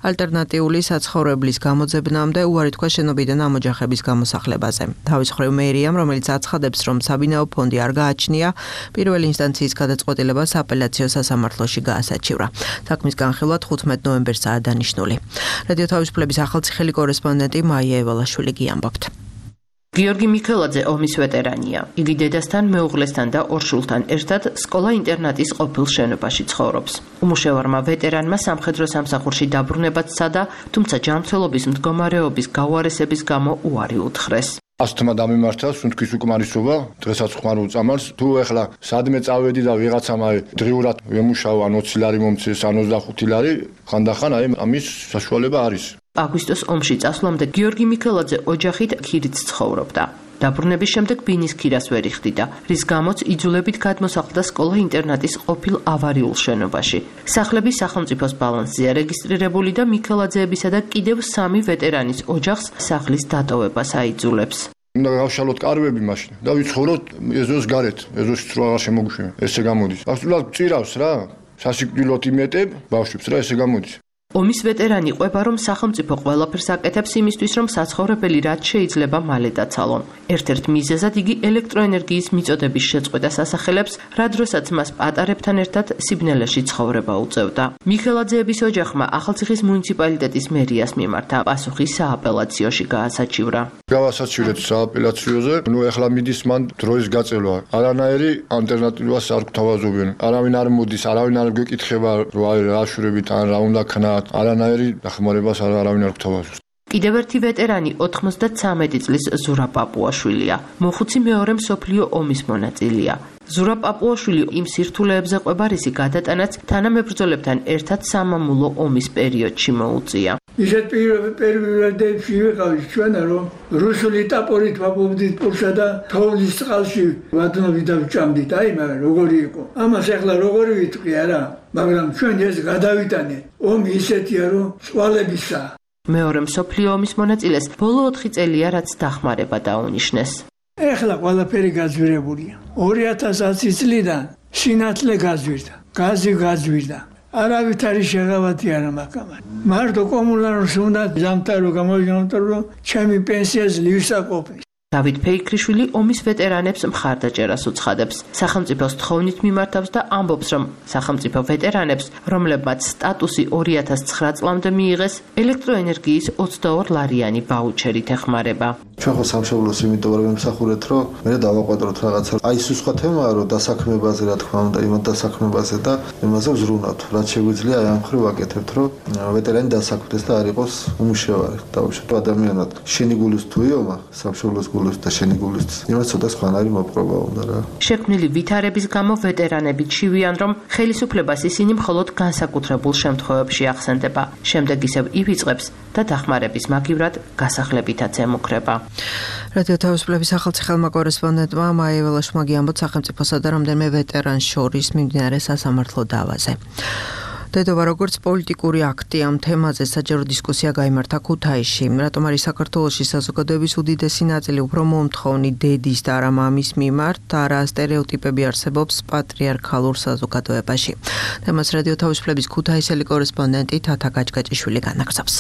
ალტერნატიული საცხოვრებლის გამოძებნამდე უარი თქვა შენობიდან ამ ოჯახების გამოსახლებაზე. თავის მხრივ მერიამ, რომელიც აცხადებს, რომ საბინაო ფონდი არ გააჩნია, პირველი ინსტანციის გადაწყვეტილება სააპელაციო სასამართლოში გაასაჩივრა. საქმის განხილვა 15 ნოემბერსაა დანიშნული. რადიო თავისუფლების ახალციხელი კორესპონდენტი მაია ევალაშვილი გიამბობთ. გიორგი მიქელაძე ომის ვეტერანია. იგი დედასთან, მეუღლესთან და 2 შვილთან ერთად სკოლა-ინტერნატის ყოფილ შენობაში ცხოვრობს. უმუშევარმა ვეტერანმა სამხედრო სამსახურში დაბრუნებაც სცადა, თუმცა ჯანმრთელობის მდგომარეობის გაუარესების გამო უარი უთხრეს. ასთმა დამემართა, სუნთქვის უკმარისობა, დღესაც ხმარ უწამალს. თუ ეხლა სადმე წავედი და ვიღაცამ დღიურად ვემუშავა 20 ლარი მომწეს, ან 25 ლარი, ხანდახან ამის საშუალება არის. აგვისტოს ომში წასვლამდე გიორგი მიქელაძე ოჯახით ქირიც ცხოვრობდა. დაბრუნების შემდეგ ბინის ქირას ვერ იხდიდა, რის გამოც იძულებით გადმოსახლდა სკოლა-ინტერნატის ყოფილ ავარიულ შენობაში. სახლები სახელმწიფოს ბალანსზეა რეგისტრირებული და მიქელაძეებისა და კიდევ 3 ვეტერანის ოჯახს სახლის დატოვებას აიძულებს. უნდა გავშალოთ კარვები მაშინ და ვიცხოვროთ ეზოს გარეთ, ეზოში თუ აღარ შემოგვიშვება. ესე გამოდის. აბსოლუტურად წირავს რა. სასიკვდილოდ იმეტებ ბავშვებს რა, ესე გამოდის. ომის ვეტერანი ყვება, რომ სახელმწიფო ყველაფერს აკეთებს იმისთვის, რომ საცხოვრებელი რაც შეიძლება მალე დაცალონ. ერთ-ერთ მიზეზად იგი ელექტროენერგიის მიწოდების შეწყვეტას ასახელებს, რა დროსაც მას პატარებთან ერთად სიბნელეში ცხოვრება უწევდა. მიქელაძეების ოჯახმა ახალციხის მუნიციპალიტეტის მერიას მიმართა, პასუხი სააპელაციოში გაასაჩივრა. გავასაჩივრეთ სააპელაციოზე, ეხლა მიდის მან დროის გაწელვა. არანაირი ალტერნატივას არ გვთავაზობენ. არავინ არ მოდის, არავინ არ გვეკითხება, რა აშურებით ან რა უნდა ქნათ. არანაირი დახმარებას არავინ არ გვთავაზობს. კიდევ ერთი ვეტერანი 93 წლის ზურა პაპუაშვილია. მოხუცი მეორე მსოფლიო ომის მონაწილეა. ზურა პაპუაშვილი იმ სირთულეებზე ყვება, რისი გადატანაც თანამებრძოლებთან ერთად სამამულო ომის პერიოდში მოუწია. ისეთ პერიოდებში ვიყავით ჩვენ, რომ რუსული ტაპორით ვაპოვდით პურსა და თოვლის წყალში ვადნობით და ვჭამდით. მაგრამ როგორი იყო? ამას ახლა როგორი ვიტყვი არა, მაგრამ ჩვენ ეს გადავიტანეთ. ომი ისეთია, რომ წვალებისაა. მეორე მსოფლიო ომის მონაწილეს ბოლო 4 წელია, რაც დახმარება დაუნიშნეს. ეხლა ყველაფერი გაძვირებულია. 2010 წლიდან სინათლე გაძვირდა, გაზი გაძვირდა. არავით არის შეღავათი არა მაგამან. მარტო კომუნალურს უნდა ზამთარო გამოვიგამთავრო, ჩემი პენსია ძლივს აკოფნის. დავით ფეიქრიშვილი ომის ვეტერანებს მხარდაჭერას უცხადებს. სახელმწიფოს თხოვნით მიმართავს და ამბობს, რომ სახელმწიფო ვეტერანებს, რომლებმაც სტატუსი 2009 წლამდე მიიღეს, ელექტროენერგიის 22 ლარიანი ვაუჩერით ეხმარება. ჩვენ ხო სამშობლოს იმიტომ რომ ვიმსახურეთ, რომ მე დავაყვადროთ რაღაცა. აი ეს სხვა თემაა, რომ დასაქმებაზე რა თქმა უნდა, იმათ დასაქმებაზე და იმაზე ვზრუნავთ. რაც შეგვიძლია აი ამ ხრივ ვაკეთებთ, რომ ვეტერანი დასაქმდეს და არ იყოს უმუშევარი. დავუშვათ ადამიანად შენი გულის თუ იომა, სამშობლოს გულის და შენი გულის იმას ცოტა სხვანაირი მოპყრობა უნდა რა. შექმნილი ვითარების გამო ვეტერანები ჩივიან, რომ ხელისუფლებას ისინი მხოლოდ განსაკუთრებულ შემთხვევებში ახსენდება. შემდეგ ისევ ივიწყებს და დახმარების მაგივრად გასახლებითაც ემუქრება. რადიო თავისუფლების ახალციხელმა კორესპონდენტმა მაია ველაშმაგი ამბობს სახელმწიფოსა და რამდენიმე ვეტერანს შორის მიმდინარე სასამართლო დავაზე. დედობა როგორც პოლიტიკური აქტი ამ თემაზე საჯარო დისკუსია გაიმართა ქუთაისში. რატომ არის საქართველოში საზოგადოების უდიდესი ნაწილი უფრო მომთხოვნი დედის და არა მამის მიმართ და რა სტერეოტიპები არსებობს პატრიარქალურ საზოგადოებაში. თემას რადიო თავისუფლების ქუთაისელი კორესპონდენტი თათა გაჭგაჭიშვილი განაგზავს.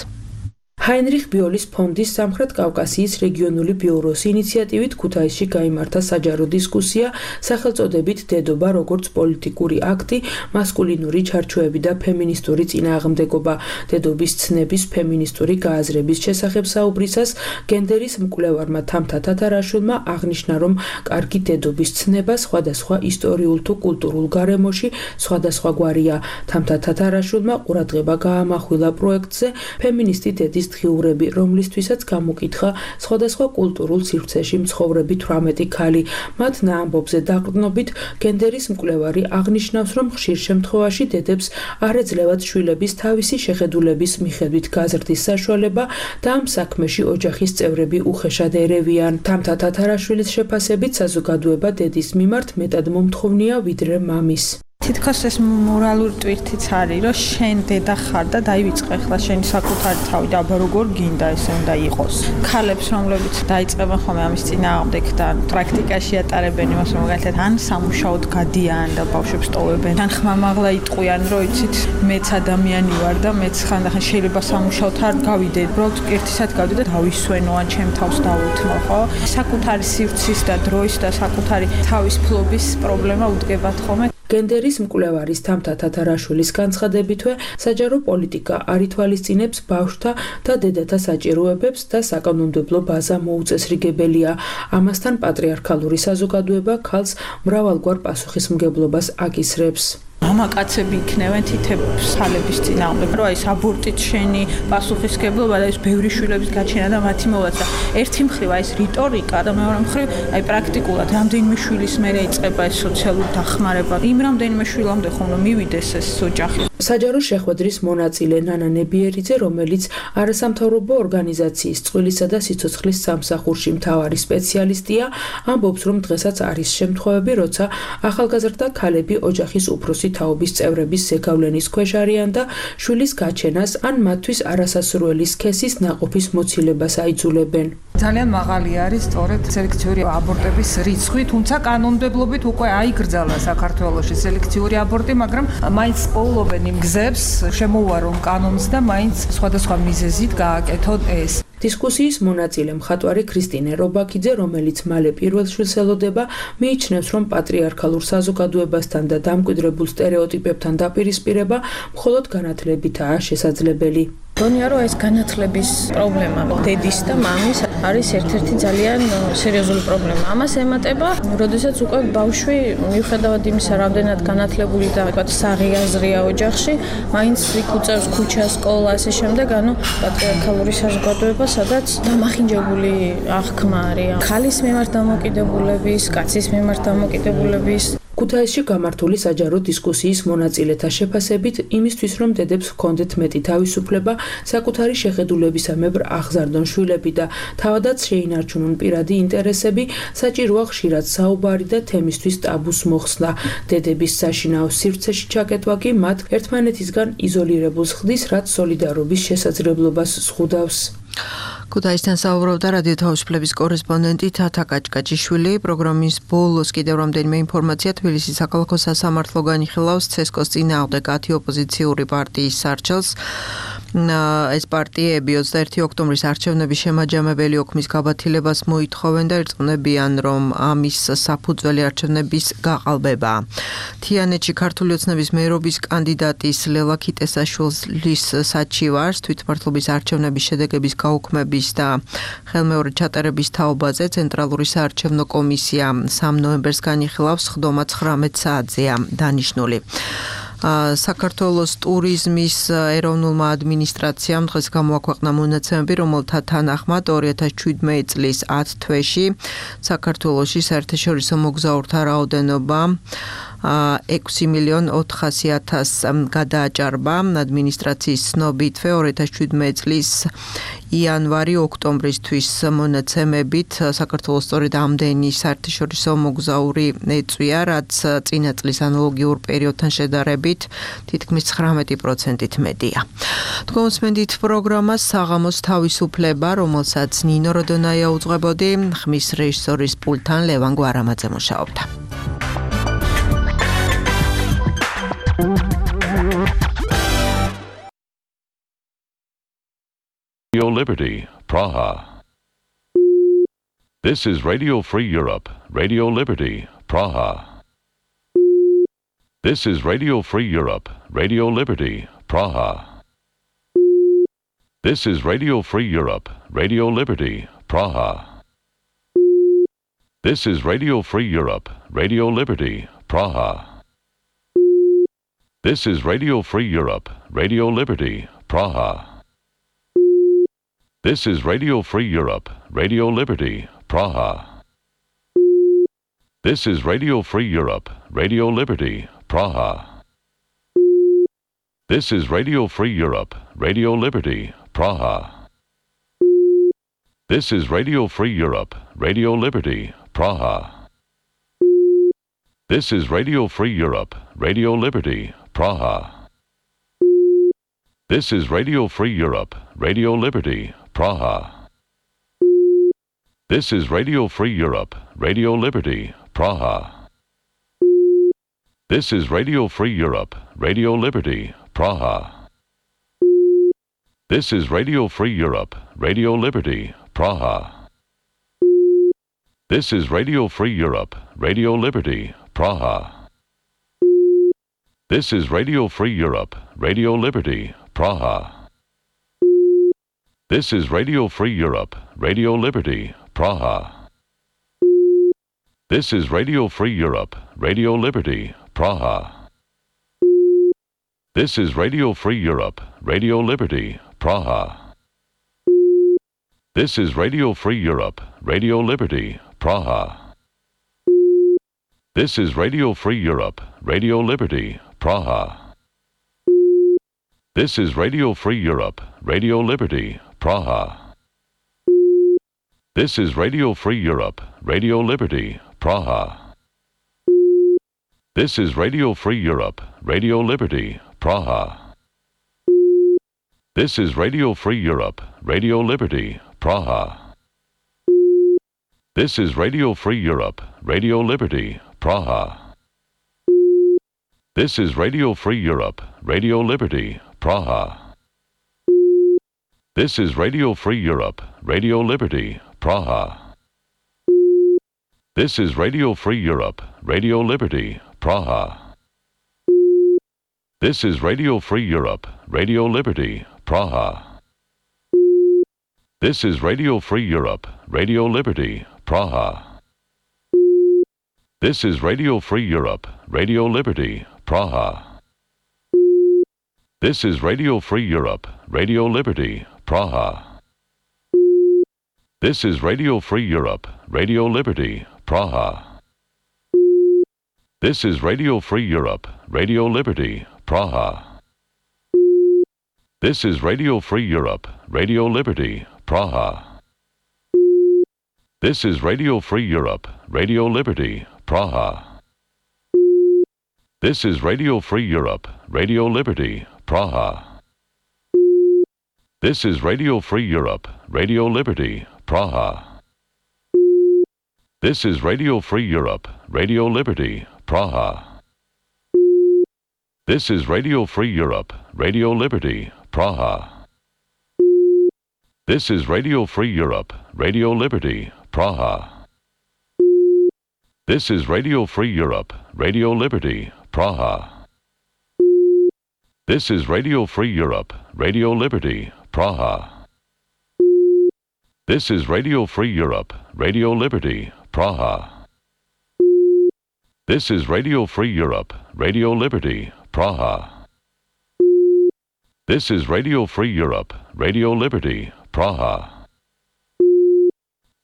ჰაინრიხ ბიოლის ფონდის სამხრეთ კავკასიის რეგიონული ბიუროს ინიციატივით ქუთაისში გაიმართა საჯარო დისკუსია სახელწოდებით დედობა როგორც პოლიტიკური აქტი, მასკულინური ჩარჩოები და ფემინისტური წინააღმდეგობა. დედობის ცნების ფემინისტური გააზრების შესახებ საუბრისას გენდერის მკვლევარმა თამთა თათარაშვილმა აღნიშნა, რომ კარგი დედობის ცნება სხვადასხვა ისტორიულ თუ კულტურულ გარემოში სხვადასხვაგვარია. თამთა თათარაშვილმა ყურადღება გაამახვილა პროექტზე ფემინისტი დედის დღიურები, რომლისთვისაც გამოკითხა სხვადასხვა კულტურულ სივრცეში მცხოვრები 18 ქალი. მათ ნაამბობზე დაყრდნობით გენდერის მკვლევარი აღნიშნავს, რომ ხშირ შემთხვევაში დედებს არ ეძლევათ შვილების თავისი შეხედულების მიხედვით გაზრდის საშუალება და ამ საქმეში ოჯახის წევრები უხეშად ერევიან. თამთა თათარაშვილის შეფასებით საზოგადოება დედის მიმართ მეტად მომთხოვნია ვიდრე მამის. თითქოს ეს მორალური ტვირთიც არის, რომ შენ დედა ხარ და დაივიწყე ახლა შენი საკუთარი თავი და აბა როგორ გინდა ესე უნდა იყოს. ქალებს, რომლებიც დაიწყებენ ხოლმე ამის წინააღმდეგ და პრაქტიკაში ატარებენ იმას, რომ მაგალითად ან სამუშაოდ გადიან და ბავშვებს ტოვებენ, ან ხმამაღლა იტყვიან, რომ იცით, მეც ადამიანი ვარ და მეც ხანდახან შეიძლება სამუშაოდ არ გავიდე, უბრალოდ ერთისად გავიდე და დავისვენო ან ჩემ თავს დავუთმო, ხო? საკუთარი სივრცის და დროის და საკუთარი თავის ფლობის პრობლემა უდგებათ ხოლმე. გენდერის მკვლევარის თამთა თათარაშვილის განცხადებითვე საჯარო პოლიტიკა არ ითვალისწინებს ბავშვთა და დედათა საჭიროებებს და საკანონმდებლო ბაზა მოუწესრიგებელია. ამასთან პატრიარქალური საზოგადოება ქალს მრავალგვარ პასუხისმგებლობას აკისრებს. მამაკაცები იქნევენ თითებს ხალების წინააღმდეგ, რომ აი ეს აბორტით შენი პასუხისმგებლობა და ეს ბევრი შვილების გაჩენა და მათი მოვაწყა. ერთი მხრივ აი ეს რიტორიკა და მეორე მხრივ აი პრაქტიკულად რამდენიმე შვილის მერე იწყება ეს სოციალური დახმარება. იმ რამდენიმე შვილამდე ხომ რომ მივიდეს ეს ოჯახი. საჯარო შეხვედრის მონაწილე ნანა ნებიერიძე, რომელიც არასამთავრობო ორგანიზაციის წყვილისა და სიცოცხლის სამსახურში მთავარი სპეციალისტია, ამბობს, რომ დღესაც არის შემთხვევები, როცა ახალგაზრდა ქალები ოჯახის უფროსი თაობის წევრების ზეგავლენის ქვეშ არიან და შვილის გაჩენას ან მათთვის არასასურველი სქესის ნაყოფის მოცილებას აიძულებენ. ძალიან მაღალი არის სწორედ სელექციური აბორტების რიცხვი, თუმცა კანონმდებლობით უკვე აიგრძალა საქართველოში სელექციური აბორტი, მაგრამ მაინც პოულობენ იმ გზებს, შემოუარონ კანონს და მაინც სხვადასხვა მიზეზით გააკეთონ ეს. დისკუსიის მონაწილე მხატვარი ქრისტინე რობაქიძე, რომელიც მალე პირველ შვილს ელოდება, მიიჩნევს, რომ პატრიარქალურ საზოგადოებასთან და დამკვიდრებულ სტერეოტიპებთან დაპირისპირება მხოლოდ განათლებითაა შესაძლებელი. გონია რომ ეს განათლების პრობლემა დედის და მამის არის ერთ-ერთი ძალიან სერიოზული პრობლემა. ამას ემატება, როდესაც უკვე ბავშვი მიუხედავად იმისა, რამდენად განათლებული და ვთქვათ საღიაზრია ოჯახში, მაინც იქ უწევს ქუჩას, სკოლას, ასე შემდეგ, ანუ პატრიარქალური საზოგადოება, სადაც დამახინჯებული აღქმა არის. ქალის მიმართ დამოკიდებულების, კაცის მიმართ დამოკიდებულების ქუთაისში გამართული საჯარო დისკუსიის მონაწილეთა შეფასებით იმისთვის, რომ დედებს ჰქონდეთ მეტი თავისუფლება, საკუთარი შეხედულებისამებრ აღზარდონ შვილები და თავადაც შეინარჩუნონ პირადი ინტერესები, საჭიროა ხშირად საუბარი და თემისთვის ტაბუს მოხსნა. დედების საშინაო სივრცეში ჩაკეტვა კი მათ ერთმანეთისგან იზოლირებულს ხდის, რაც სოლიდარობის შესაძლებლობას ზღუდავს. ქუთაისთან საუბრობდა რადიო თავისუფლების კორესპონდენტი თათა გაჭგაჭიშვილი. პროგრამის ბოლოს კიდევ რამდენიმე ინფორმაცია. თბილისის საქალაქო სასამართლო განიხილავს ცესკოს წინააღმდეგ 10 ოპოზიციური პარტიის სარჩელს. ეს პარტიები 21 ოქტომბრის არჩევნების შემაჯამებელი ოქმის გაბათილებას მოითხოვენ და ირწმუნებიან, რომ ამის საფუძველი არჩევნების გაყალბებაა. თიანეთში ქართული ოცნების მერობის კანდიდატის ლელა ქიტესაშვილის საჩივარს თვითმმართველობის არჩევნების შედეგების გაუქმების განცხადების და ხელმეორედ ჩატარების თაობაზე ცენტრალური საარჩევნო კომისია 3 ნოემბერს განიხილავს, ხდომა 19 საათზეა დანიშნული. საქართველოს ტურიზმის ეროვნულმა ადმინისტრაციამ დღეს გამოაქვეყნა მონაცემები, რომელთა თანახმად 2017 წლის 10 თვეში საქართველოში საერთაშორისო მოგზაურთა რაოდენობა 6.400.000 გადააჭარბა. ადმინისტრაციის ცნობითვე 2017 წლის იანვარი-ოქტომბრისთვის მონაცემებით საქართველოს სწორედ ამდენი საერთაშორისო მოგზაური ეწვია, რაც წინა წლის ანალოგიურ პერიოდთან შედარებით თითქმის 19%-ით მეტია. თქვენსმენდით პროგრამას საღამოს თავისუფლება, რომელსაც ნინო როდონაია უძღვებოდი, ხმის რეჟისორის პულტთან ლევან გვარამაძე მუშაობდა. Radio Liberty, Praha. This is Radio Free Europe, Radio Liberty, Praha. This is Radio Free Europe, Radio Liberty, Praha. This is Radio Free Europe, Radio Liberty, Praha. This is Radio Free Europe, Radio Liberty, Praha. This is Radio Free Europe, Radio Liberty, Praha. This is Radio Free Europe, Radio Liberty, Praha. This is Radio Free Europe, Radio Liberty, Praha. This is Radio Free Europe, Radio Liberty, Praha. This is Radio Free Europe, Radio Liberty, Praha. This is Radio Free Europe, Radio Liberty, Praha. This is Radio Free Europe, Radio Liberty, Praha. This is Radio Free Europe, Radio Liberty, Praha. This is Radio Free Europe, Radio Liberty, Praha. This is Radio Free Europe, Radio Liberty, Praha. This is Radio Free Europe, Radio Liberty, Praha. This is Radio Free Europe, Radio Liberty, Praha. This is Radio Free Europe, Radio Liberty, Praha. This is Radio Free Europe, Radio Liberty, Praha. This is Radio Free Europe, Radio Liberty, Praha. This is Radio Free Europe, Radio Liberty, Praha. This is Radio Free Europe, Radio Liberty, Praha. This is Radio Free Europe, Radio Liberty, Praha. This is Radio Free Europe, Radio Liberty, Praha. This is Radio Free Europe, Radio Liberty, Praha. This is Radio Free Europe, Radio Liberty, Praha. This is Radio Free Europe, Radio Liberty, Praha. This is Radio Free Europe, Radio Liberty, Praha. This is Radio Free Europe, Radio Liberty, Praha. This is Radio Free Europe, Radio Liberty, Praha. This is Radio Free Europe, Radio Liberty, Praha. This is Radio Free Europe, Radio Liberty, Praha. This is Radio Free Europe, Radio Liberty, Praha. This is Radio Free Europe, Radio Liberty, Praha. This is Radio Free Europe, Radio Liberty, Praha. This is Radio Free Europe, Radio Liberty, Praha. This is Radio Free Europe, Radio Liberty, Praha. This is Radio Free Europe, Radio Liberty, Praha. This is Radio Free Europe, Radio Liberty, Praha. This is Radio Free Europe, Radio Liberty, Praha. This is Radio Free Europe, Radio Liberty, Praha. This is Radio Free Europe, Radio Liberty, Praha. This is Radio Free Europe, Radio Liberty, Praha. This is Radio Free Europe, Radio Liberty, Praha. This is Radio Free Europe, Radio Liberty, Praha. This is Radio Free Europe, Radio Liberty, Praha. This is Radio Free Europe, Radio Liberty, Praha. This is Radio Free Europe, Radio Liberty, Praha.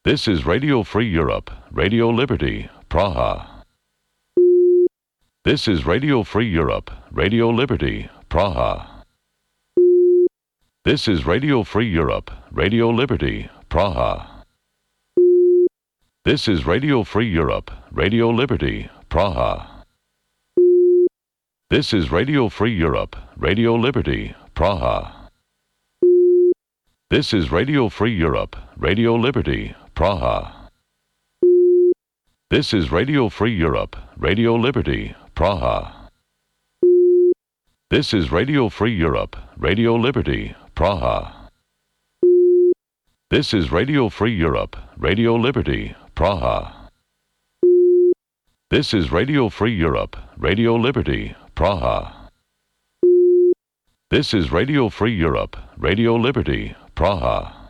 This is Radio Free Europe, Radio Liberty, Praha. This is Radio Free Europe, Radio Liberty, Praha. This is Radio Free Europe, Radio Liberty, Praha. This is Radio Free Europe, Radio Liberty, Praha. This is Radio Free Europe, Radio Liberty, Praha. This is Radio Free Europe, Radio Liberty, Praha. This is Radio Free Europe, Radio Liberty, Praha. This is Radio Free Europe, Radio Liberty, Praha. This is Radio Free Europe, Radio Liberty, Praha. This is Radio Free Europe, Radio Liberty, Praha. This is Radio Free Europe, Radio Liberty, Praha.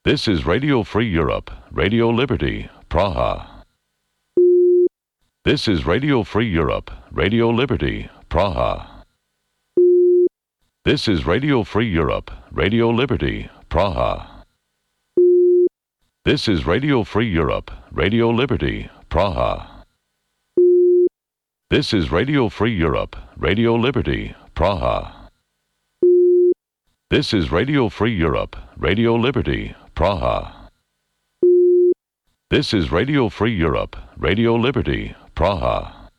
This is Radio Free Europe, Radio Liberty, Praha. This is Radio Free Europe, Radio Liberty, Praha. This is Radio Free Europe, Radio Liberty, Praha. This is Radio Free Europe, Radio Liberty, Praha. This is Radio Free Europe, Radio Liberty, Praha. This is Radio Free Europe, Radio Liberty, Praha. This is Radio Free Europe, Radio Liberty, Praha.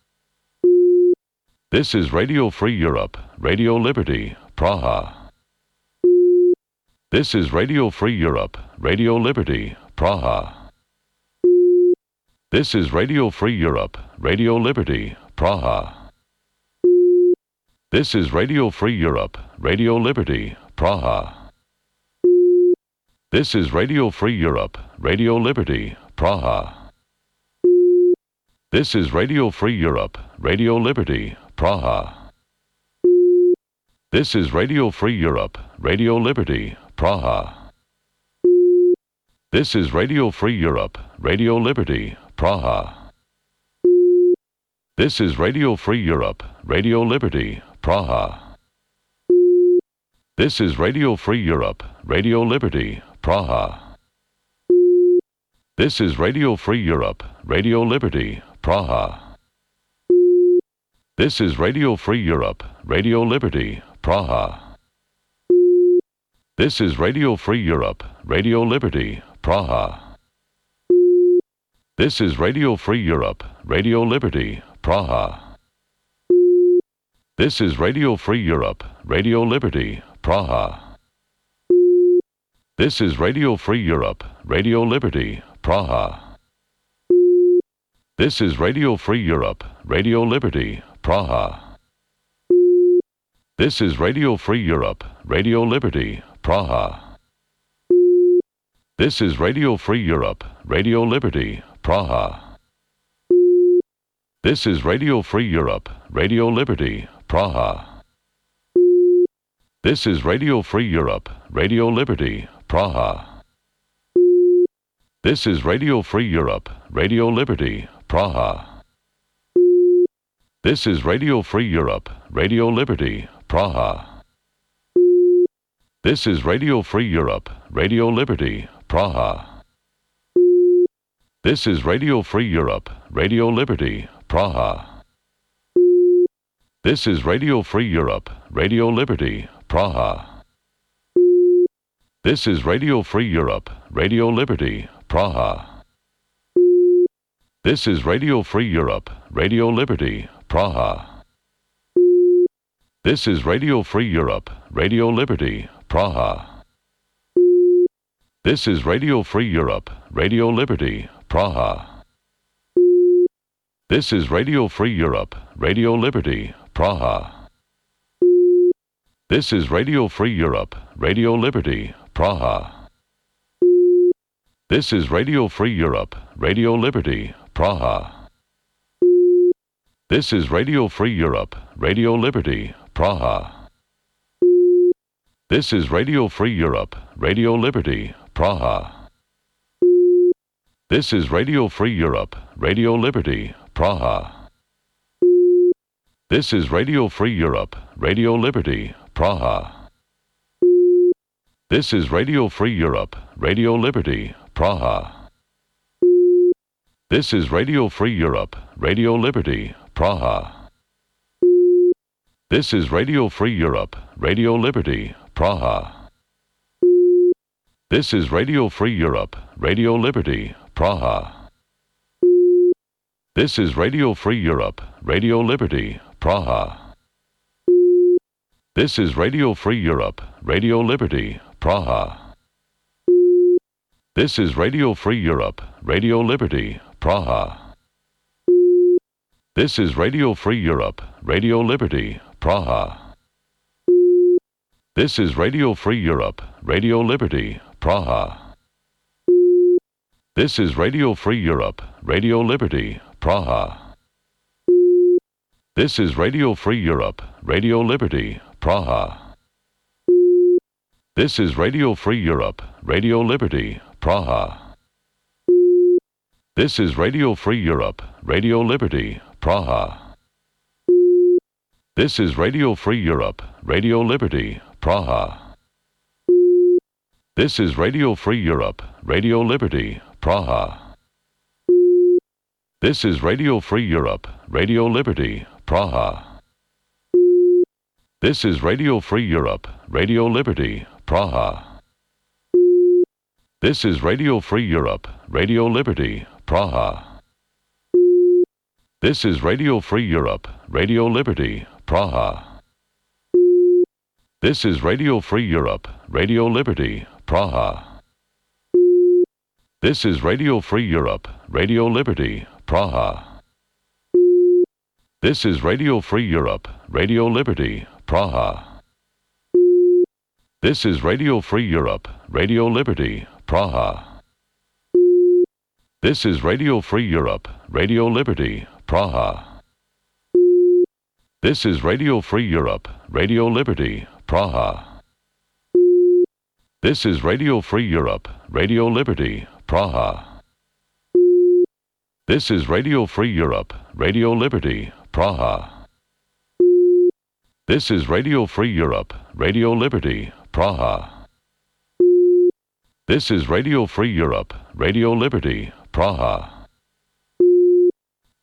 This is Radio Free Europe, Radio Liberty, Praha. This is Radio Free Europe, Radio Liberty, Praha. This is Radio Free Europe, Radio Liberty, Praha. This is Radio Free Europe, Radio Liberty, Praha. This is Radio Free Europe, Radio Liberty, Praha. This is Radio Free Europe, Radio Liberty, Praha. This is Radio Free Europe, Radio Liberty, Praha. This is Radio Free Europe, Radio Liberty, Praha. This is Radio Free Europe, Radio Liberty, Praha. This is Radio Free Europe, Radio Liberty, Praha. This is Radio Free Europe, Radio Liberty, Praha. This is Radio Free Europe, Radio Liberty, Praha. This is Radio Free Europe, Radio Liberty, Praha. This is Radio Free Europe, Radio Liberty, Praha. This is Radio Free Europe, Radio Liberty, Praha. This is Radio Free Europe, Radio Liberty, Praha. This is Radio Free Europe, Radio Liberty, Praha. This is Radio Free Europe, Radio Liberty, Praha. This is Radio Free Europe, Radio Liberty, Praha. This is Radio Free Europe, Radio Liberty, Praha. This is Radio Free Europe, Radio Liberty, Praha. This is Radio Free Europe, Radio Liberty, Praha. This is Radio Free Europe, Radio Liberty, Praha. This is Radio Free Europe, Radio Liberty, Praha. This is Radio Free Europe, Radio Liberty, Praha. This is Radio Free Europe, Radio Liberty, Praha. This is Radio Free Europe, Radio Liberty, Praha. This is Radio Free Europe, Radio Liberty, Praha. This is Radio Free Europe, Radio Liberty, Praha. This is Radio Free Europe, Radio Liberty, Praha. This is Radio Free Europe, Radio Liberty, Praha. This is Radio Free Europe, Radio Liberty, Praha. This is Radio Free Europe, Radio Liberty, Praha. This is Radio Free Europe, Radio Liberty, Praha. This is Radio Free Europe, Radio Liberty, Praha. This is Radio Free Europe, Radio Liberty, Praha. This is Radio Free Europe, Radio Liberty, Praha. This is Radio Free Europe, Radio Liberty, Praha. This is Radio Free Europe, Radio Liberty, Praha. This is Radio Free Europe, Radio Liberty, Praha. This is Radio Free Europe, Radio Liberty, Praha. This is Radio Free Europe, Radio Liberty, Praha. This is Radio Free Europe, Radio Liberty, Praha. This is Radio Free Europe, Radio Liberty, Praha. This is Radio Free Europe, Radio Liberty, Praha. This is Radio Free Europe, Radio Liberty, Praha. This is Radio Free Europe, Radio Liberty, Praha. This is Radio Free Europe, Radio Liberty, Praha. This is Radio Free Europe, Radio Liberty, Praha. This is Radio Free Europe, Radio Liberty, Praha. This is Radio Free Europe, Radio Liberty, Praha. This is Radio Free Europe, Radio Liberty, Praha. This is Radio Free Europe, Radio Liberty, Praha. This is Radio Free Europe, Radio Liberty, Praha. This is Radio Free Europe, Radio Liberty, Praha. This is Radio Free Europe, Radio Liberty, Praha. This is Radio Free Europe, Radio Liberty, Praha. This is Radio Free Europe, Radio Liberty, Praha. This is Radio Free Europe, Radio Liberty, Praha. This is Radio Free Europe, Radio Liberty, Praha. This is Radio Free Europe, Radio Liberty, Praha. This is Radio Free Europe, Radio Liberty, Praha. This is Radio Free Europe, Radio Liberty, Praha. This is Radio Free Europe, Radio Liberty, Praha. This is Radio Free Europe, Radio Liberty, Praha. This is Radio Free Europe, Radio Liberty, Praha.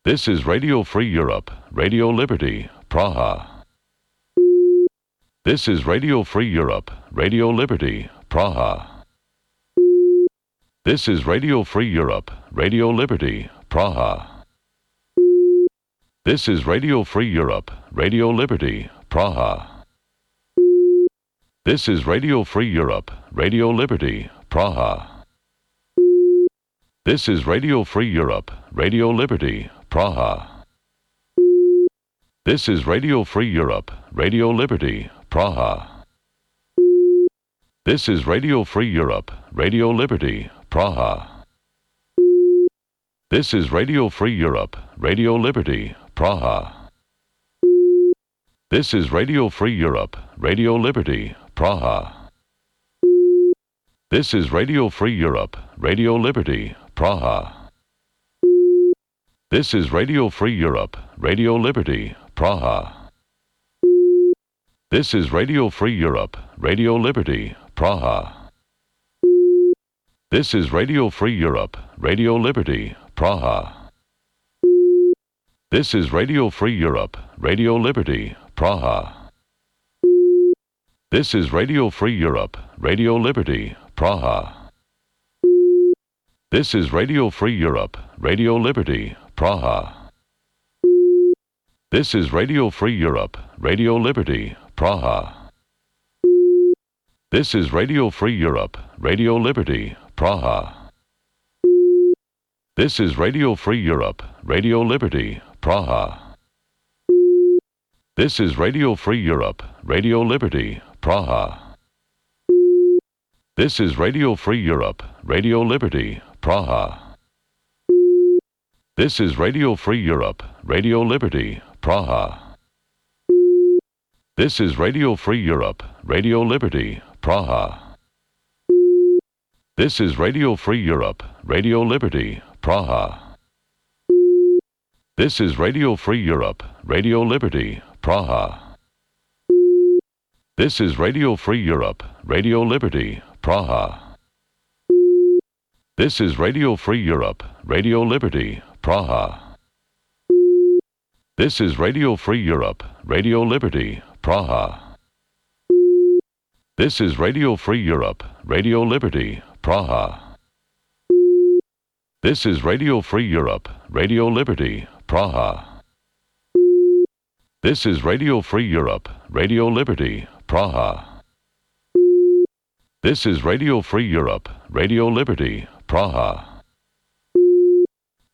This is Radio Free Europe, Radio Liberty, Praha. This is Radio Free Europe, Radio Liberty, Praha. This is Radio Free Europe, Radio Liberty, Praha. This is Radio Free Europe, Radio Liberty, Praha. This is Radio Free Europe, Radio Liberty, Praha. This is Radio Free Europe, Radio Liberty, Praha. This is Radio Free Europe, Radio Liberty, Praha. This is Radio Free Europe, Radio Liberty, Praha. This is Radio Free Europe, Radio Liberty, Praha. This is Radio Free Europe, Radio Liberty, Praha. This is Radio Free Europe, Radio Liberty, Praha. This is Radio Free Europe, Radio Liberty, Praha. This is Radio Free Europe, Radio Liberty, Praha. This is Radio Free Europe, Radio Liberty, Praha. This is Radio Free Europe, Radio Liberty, Praha. This is Radio Free Europe, Radio Liberty, Praha. This is Radio Free Europe, Radio Liberty, Praha. This is Radio Free Europe, Radio Liberty, Praha. This is Radio Free Europe, Radio Liberty, Praha. This is Radio Free Europe, Radio Liberty, Praha. This is Radio Free Europe, Radio Liberty, Praha. This is Radio Free Europe, Radio Liberty, Praha. This is Radio Free Europe, Radio Liberty, Praha. This is Radio Free Europe, Radio Liberty, Praha. This is Radio Free Europe, Radio Liberty, Praha. This is Radio Free Europe, Radio Liberty, Praha. This is Radio Free Europe, Radio Liberty, Praha. This is Radio Free Europe, Radio Liberty, Praha. This is Radio Free Europe, Radio Liberty, Praha. This is Radio Free Europe, Radio Liberty, Praha. This is Radio Free Europe, Radio Liberty, Praha. This is Radio Free Europe, Radio Liberty, Praha. This is Radio Free Europe, Radio Liberty, Praha.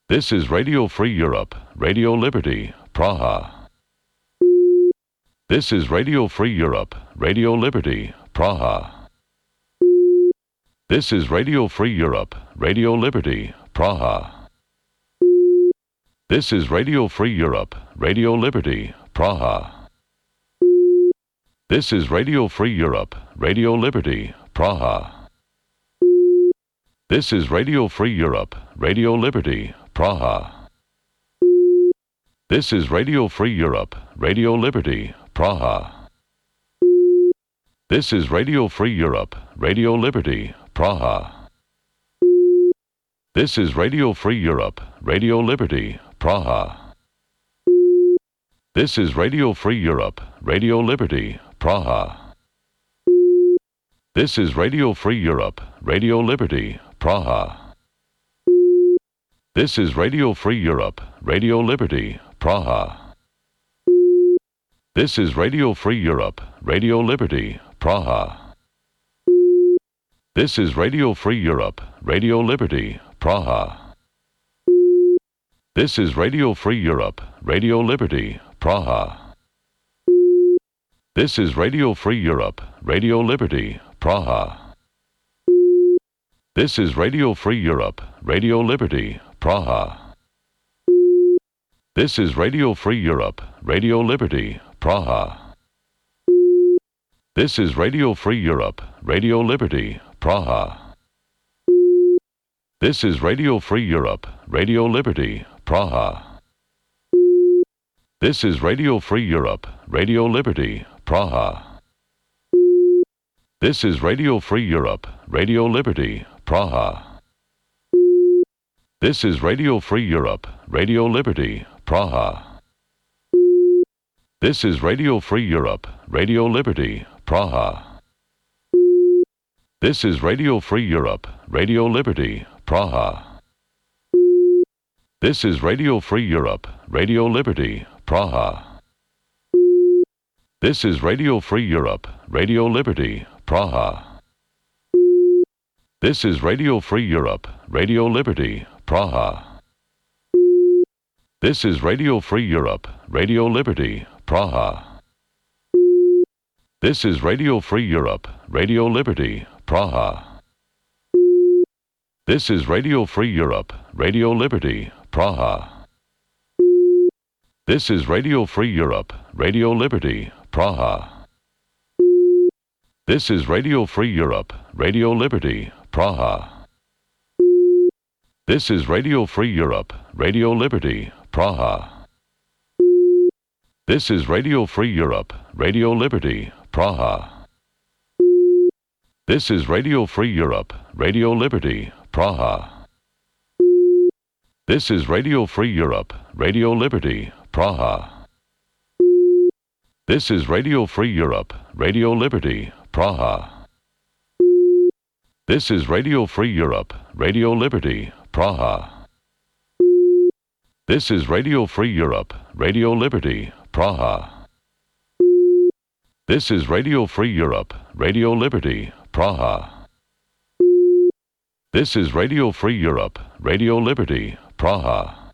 This is Radio Free Europe, Radio Liberty, Praha. This is Radio Free Europe, Radio Liberty, Praha. This is Radio Free Europe, Radio Liberty, Praha. This is Radio Free Europe, Radio Liberty, Praha. This is Radio Free Europe, Radio Liberty, Praha. This is Radio Free Europe, Radio Liberty, Praha. This is Radio Free Europe, Radio Liberty, Praha. This is Radio Free Europe, Radio Liberty, Praha. This is Radio Free Europe, Radio Liberty, Praha. This is Radio Free Europe, Radio Liberty, Praha. This is Radio Free Europe, Radio Liberty, Praha. This is Radio Free Europe, Radio Liberty, Praha. This is Radio Free Europe, Radio Liberty, Praha. This is Radio Free Europe, Radio Liberty, Praha. This is Radio Free Europe, Radio Liberty, Praha. This is Radio Free Europe, Radio Liberty, Praha. This is Radio Free Europe, Radio Liberty, Praha. This is Radio Free Europe, Radio Liberty, Praha. This is Radio Free Europe, Radio Liberty, Praha. This is Radio Free Europe, Radio Liberty, Praha. This is Radio Free Europe, Radio Liberty, Praha. This is Radio Free Europe, Radio Liberty, Praha. This is Radio Free Europe, Radio Liberty, Praha. This is Radio Free Europe, Radio Liberty, Praha. This is Radio Free Europe, Radio Liberty, Praha. This is Radio Free Europe, Radio Liberty, Praha. This is Radio Free Europe, Radio Liberty, Praha. This is Radio Free Europe, Radio Liberty, Praha. This is Radio Free Europe, Radio Liberty, Praha. This is Radio Free Europe, Radio Liberty, Praha. This is Radio Free Europe, Radio Liberty, Praha. This is Radio Free Europe, Radio Liberty, Praha. This is Radio Free Europe, Radio Liberty, Praha. This is Radio Free Europe, Radio Liberty, Praha. This is Radio Free Europe, Radio Liberty, Praha. This is Radio Free Europe, Radio Liberty, Praha. This is Radio Free Europe, Radio Liberty, Praha. This is Radio Free Europe, Radio Liberty, Praha. This is Radio Free Europe, Radio Liberty, Praha. This is Radio Free Europe, Radio Liberty, Praha. This is Radio Free Europe, Radio Liberty, Praha. This is Radio Free Europe, Radio Liberty, Praha.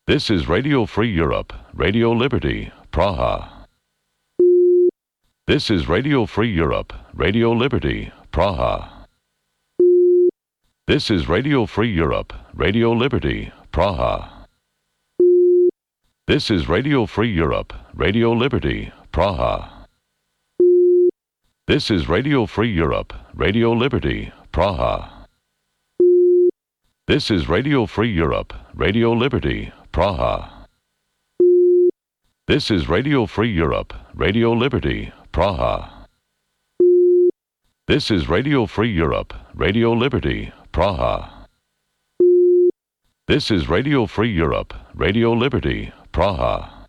This is Radio Free Europe, Radio Liberty, Praha. This is Radio Free Europe, Radio Liberty, Praha. This is Radio Free Europe, Radio Liberty, Praha. This is Radio Free Europe, Radio Liberty, Praha. This is Radio Free Europe, Radio Liberty, Praha. This is Radio Free Europe, Radio Liberty, Praha. This is Radio Free Europe, Radio Liberty, Praha. This is Radio Free Europe, Radio Liberty, Praha. This is Radio Free Europe, Radio Liberty, Praha.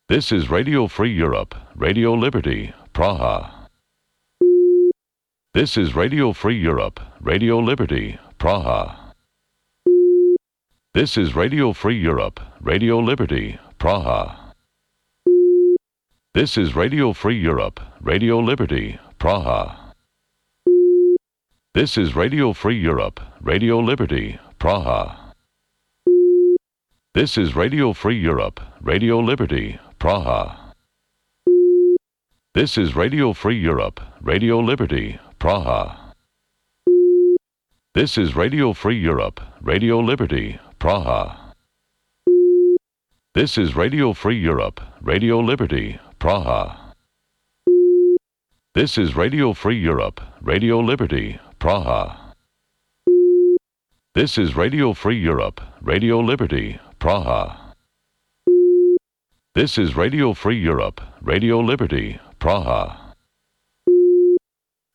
This is Radio Free Europe, Radio Liberty, Praha. This is Radio Free Europe, Radio Liberty, Praha. This is Radio Free Europe, Radio Liberty, Praha. This is Radio Free Europe, Radio Liberty, Praha. This is Radio Free Europe, Radio Liberty, Praha. This is Radio Free Europe, Radio Liberty, Praha. This is Radio Free Europe, Radio Liberty, Praha. This is Radio Free Europe, Radio Liberty, Praha. This is Radio Free Europe, Radio Liberty, Praha. This is Radio Free Europe, Radio Liberty, Praha. This is Radio Free Europe, Radio Liberty, Praha. This is Radio Free Europe, Radio Liberty, Praha.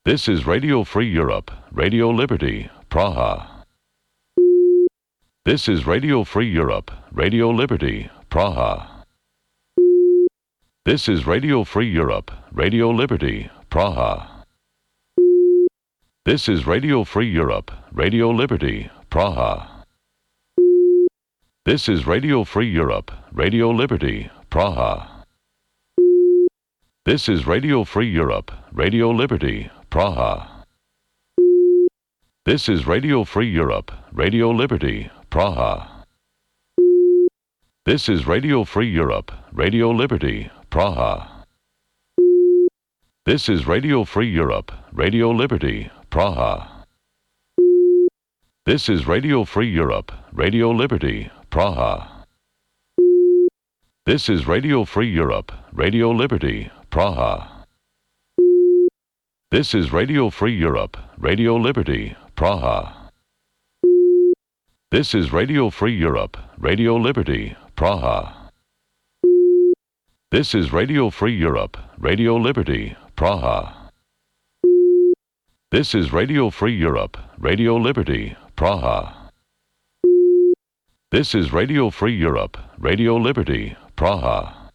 This is Radio Free Europe, Radio Liberty, Praha. This is Radio Free Europe, Radio Liberty, Praha. This is Radio Free Europe, Radio Liberty, Praha. This is Radio Free Europe, Radio Liberty, Praha. This is Radio Free Europe, Radio Liberty, Praha. This is Radio Free Europe, Radio Liberty, Praha. This is Radio Free Europe, Radio Liberty, Praha. This is Radio Free Europe, Radio Liberty, Praha. This is Radio Free Europe, Radio Liberty, Praha. This is Radio Free Europe, Radio Liberty, Praha. This is Radio Free Europe, Radio Liberty, Praha. This is Radio Free Europe, Radio Liberty, Praha. This is Radio Free Europe, Radio Liberty, Praha. This is Radio Free Europe, Radio Liberty, Praha. This is Radio Free Europe, Radio Liberty, Praha. This is Radio Free Europe, Radio Liberty, Praha.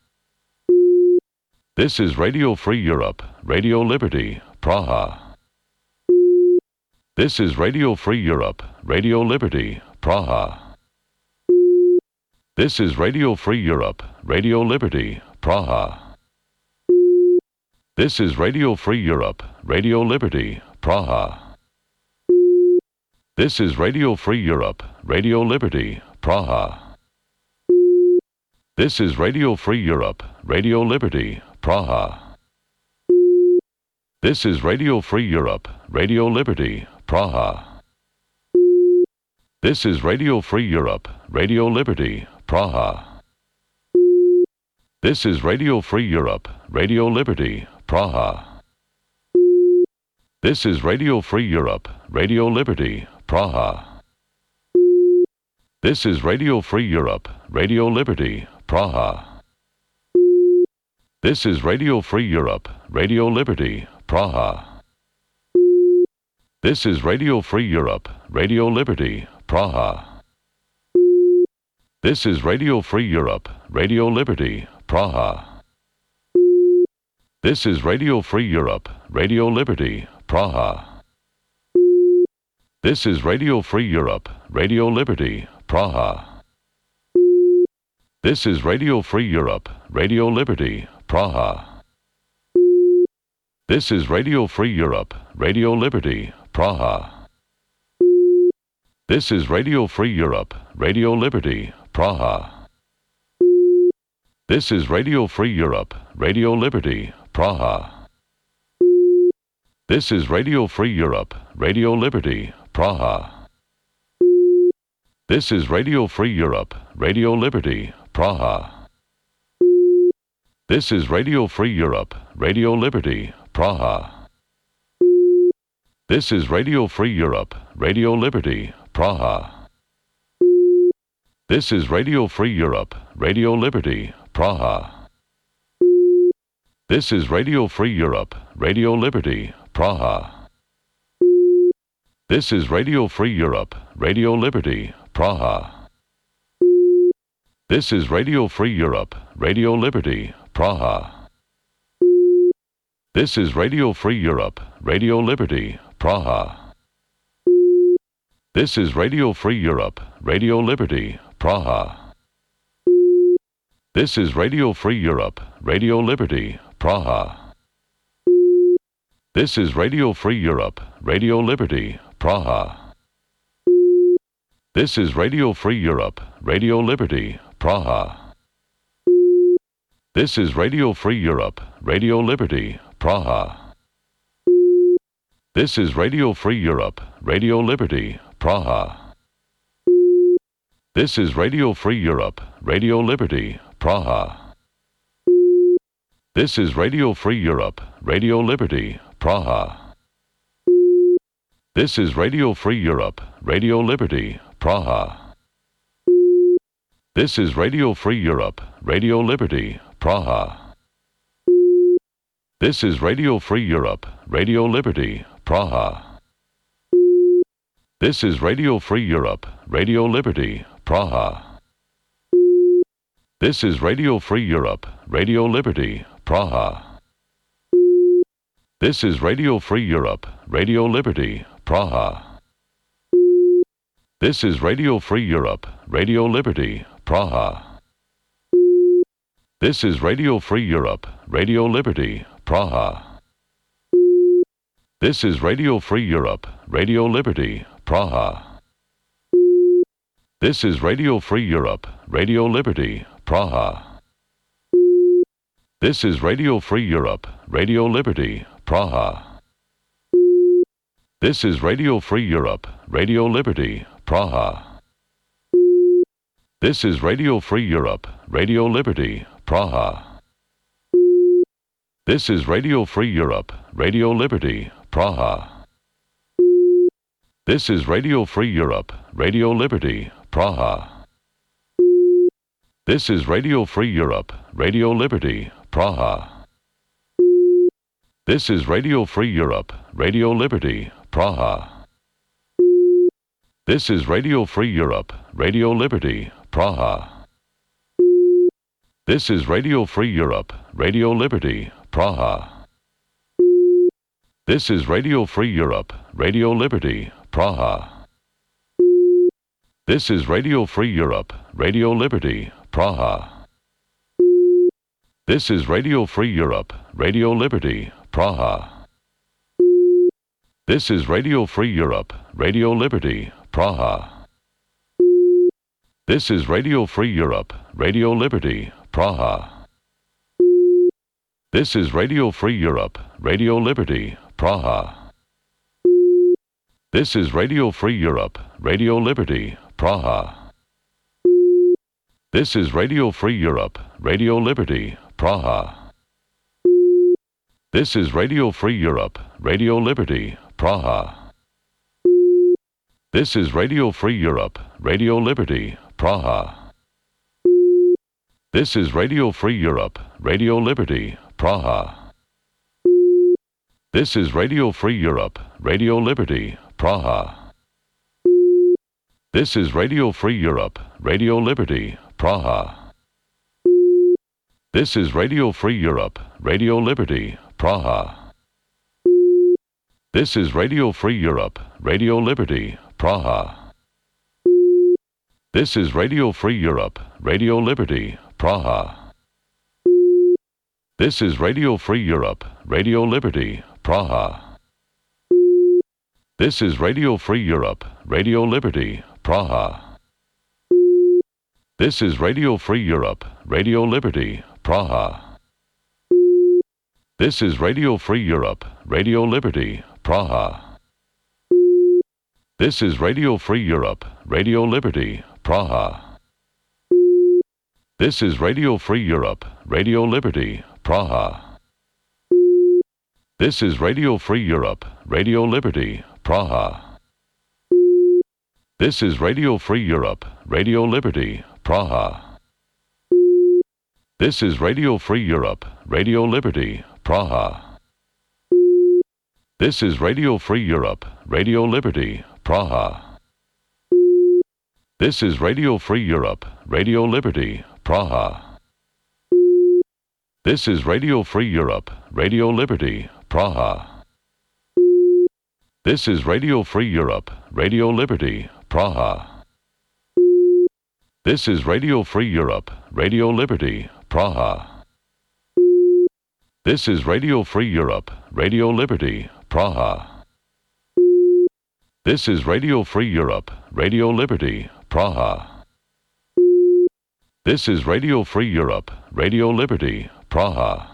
This is Radio Free Europe, Radio Liberty, Praha. This is Radio Free Europe, Radio Liberty, Praha. This is Radio Free Europe, Radio Liberty, Praha. This is Radio Free Europe, Radio Liberty, Praha. This is Radio Free Europe, Radio Liberty, Praha. This is Radio Free Europe, Radio Liberty, Praha. This is Radio Free Europe, Radio Liberty, Praha. This is Radio Free Europe, Radio Liberty, Praha. This is Radio Free Europe, Radio Liberty, Praha. This is Radio Free Europe, Radio Liberty, Praha. This is Radio Free Europe, Radio Liberty, Praha. This is Radio Free Europe, Radio Liberty, Praha. This is Radio Free Europe, Radio Liberty, Praha. This is Radio Free Europe, Radio Liberty, Praha. This is Radio Free Europe, Radio Liberty, Praha. This is Radio Free Europe, Radio Liberty, Praha. This is Radio Free Europe, Radio Liberty, Praha. This is Radio Free Europe, Radio Liberty, Praha. This is Radio Free Europe, Radio Liberty, Praha. This is Radio Free Europe, Radio Liberty, Praha. This is Radio Free Europe, Radio Liberty, Praha. This is Radio Free Europe, Radio Liberty, Praha. This is Radio Free Europe, Radio Liberty, Praha. This is Radio Free Europe, Radio Liberty, Praha. This is Radio Free Europe, Radio Liberty, Praha. This is Radio Free Europe, Radio Liberty, Praha. This is Radio Free Europe, Radio Liberty, Praha. This is Radio Free Europe, Radio Liberty, Praha. This is Radio Free Europe, Radio Liberty, Praha. This is Radio Free Europe, Radio Liberty, Praha. This is Radio Free Europe, Radio Liberty, Praha. This is Radio Free Europe, Radio Liberty, Praha. This is Radio Free Europe, Radio Liberty, Praha. This is Radio Free Europe, Radio Liberty, Praha. This is Radio Free Europe, Radio Liberty, Praha. This is Radio Free Europe, Radio Liberty, Praha. This is Radio Free Europe, Radio Liberty, Praha. This is Radio Free Europe, Radio Liberty, Praha. This is Radio Free Europe, Radio Liberty, Praha. This is Radio Free Europe, Radio Liberty, Praha. This is Radio Free Europe, Radio Liberty, Praha. This is Radio Free Europe, Radio Liberty, Praha. This is Radio Free Europe, Radio Liberty, Praha. This is Radio Free Europe, Radio Liberty, Praha. This is Radio Free Europe, Radio Liberty, Praha. This is Radio Free Europe, Radio Liberty, Praha. This is Radio Free Europe, Radio Liberty, Praha. This is Radio Free Europe, Radio Liberty, Praha. This is Radio Free Europe, Radio Liberty, Praha. This is Radio Free Europe, Radio Liberty, Praha. This is Radio Free Europe, Radio Liberty, Praha. This is Radio Free Europe, Radio Liberty, Praha. This is Radio Free Europe, Radio Liberty, Praha. This is Radio Free Europe, Radio Liberty, Praha. This is Radio Free Europe, Radio Liberty, Praha. This is Radio Free Europe, Radio Liberty, Praha. This is Radio Free Europe, Radio Liberty, Praha. This is Radio Free Europe, Radio Liberty, Praha. This is Radio Free Europe, Radio Liberty, Praha. This is Radio Free Europe, Radio Liberty, Praha. This is Radio Free Europe, Radio Liberty, Praha. This is Radio Free Europe, Radio Liberty, Praha. This is Radio Free Europe, Radio Liberty, Praha. This is Radio Free Europe, Radio Liberty, Praha. This is Radio Free Europe, Radio Liberty, Praha. This is Radio Free Europe, Radio Liberty, Praha. This is Radio Free Europe, Radio Liberty, Praha. This is Radio Free Europe, Radio Liberty, Praha. This is Radio Free Europe, Radio Liberty, Praha. This is Radio Free Europe, Radio Liberty, Praha. This is Radio Free Europe, Radio Liberty, Praha. This is Radio Free Europe, Radio Liberty, Praha. This is Radio Free Europe, Radio Liberty, Praha. This is Radio Free Europe, Radio Liberty, Praha. This is Radio Free Europe, Radio Liberty, Praha. This is Radio Free Europe, Radio Liberty, Praha. This is Radio Free Europe, Radio Liberty, Praha. This is Radio Free Europe, Radio Liberty, Praha. This is Radio Free Europe, Radio Liberty, Praha. This is Radio Free Europe, Radio Liberty, Praha. This is Radio Free Europe, Radio Liberty, Praha. This is Radio Free Europe, Radio Liberty, Praha. This is Radio Free Europe, Radio Liberty, Praha. This is Radio Free Europe, Radio Liberty, Praha. This is Radio Free Europe, Radio Liberty, Praha. This is Radio Free Europe, Radio Liberty, Praha. This is Radio Free Europe, Radio Liberty, Praha. This is Radio Free Europe, Radio Liberty, Praha. This is Radio Free Europe, Radio Liberty, Praha.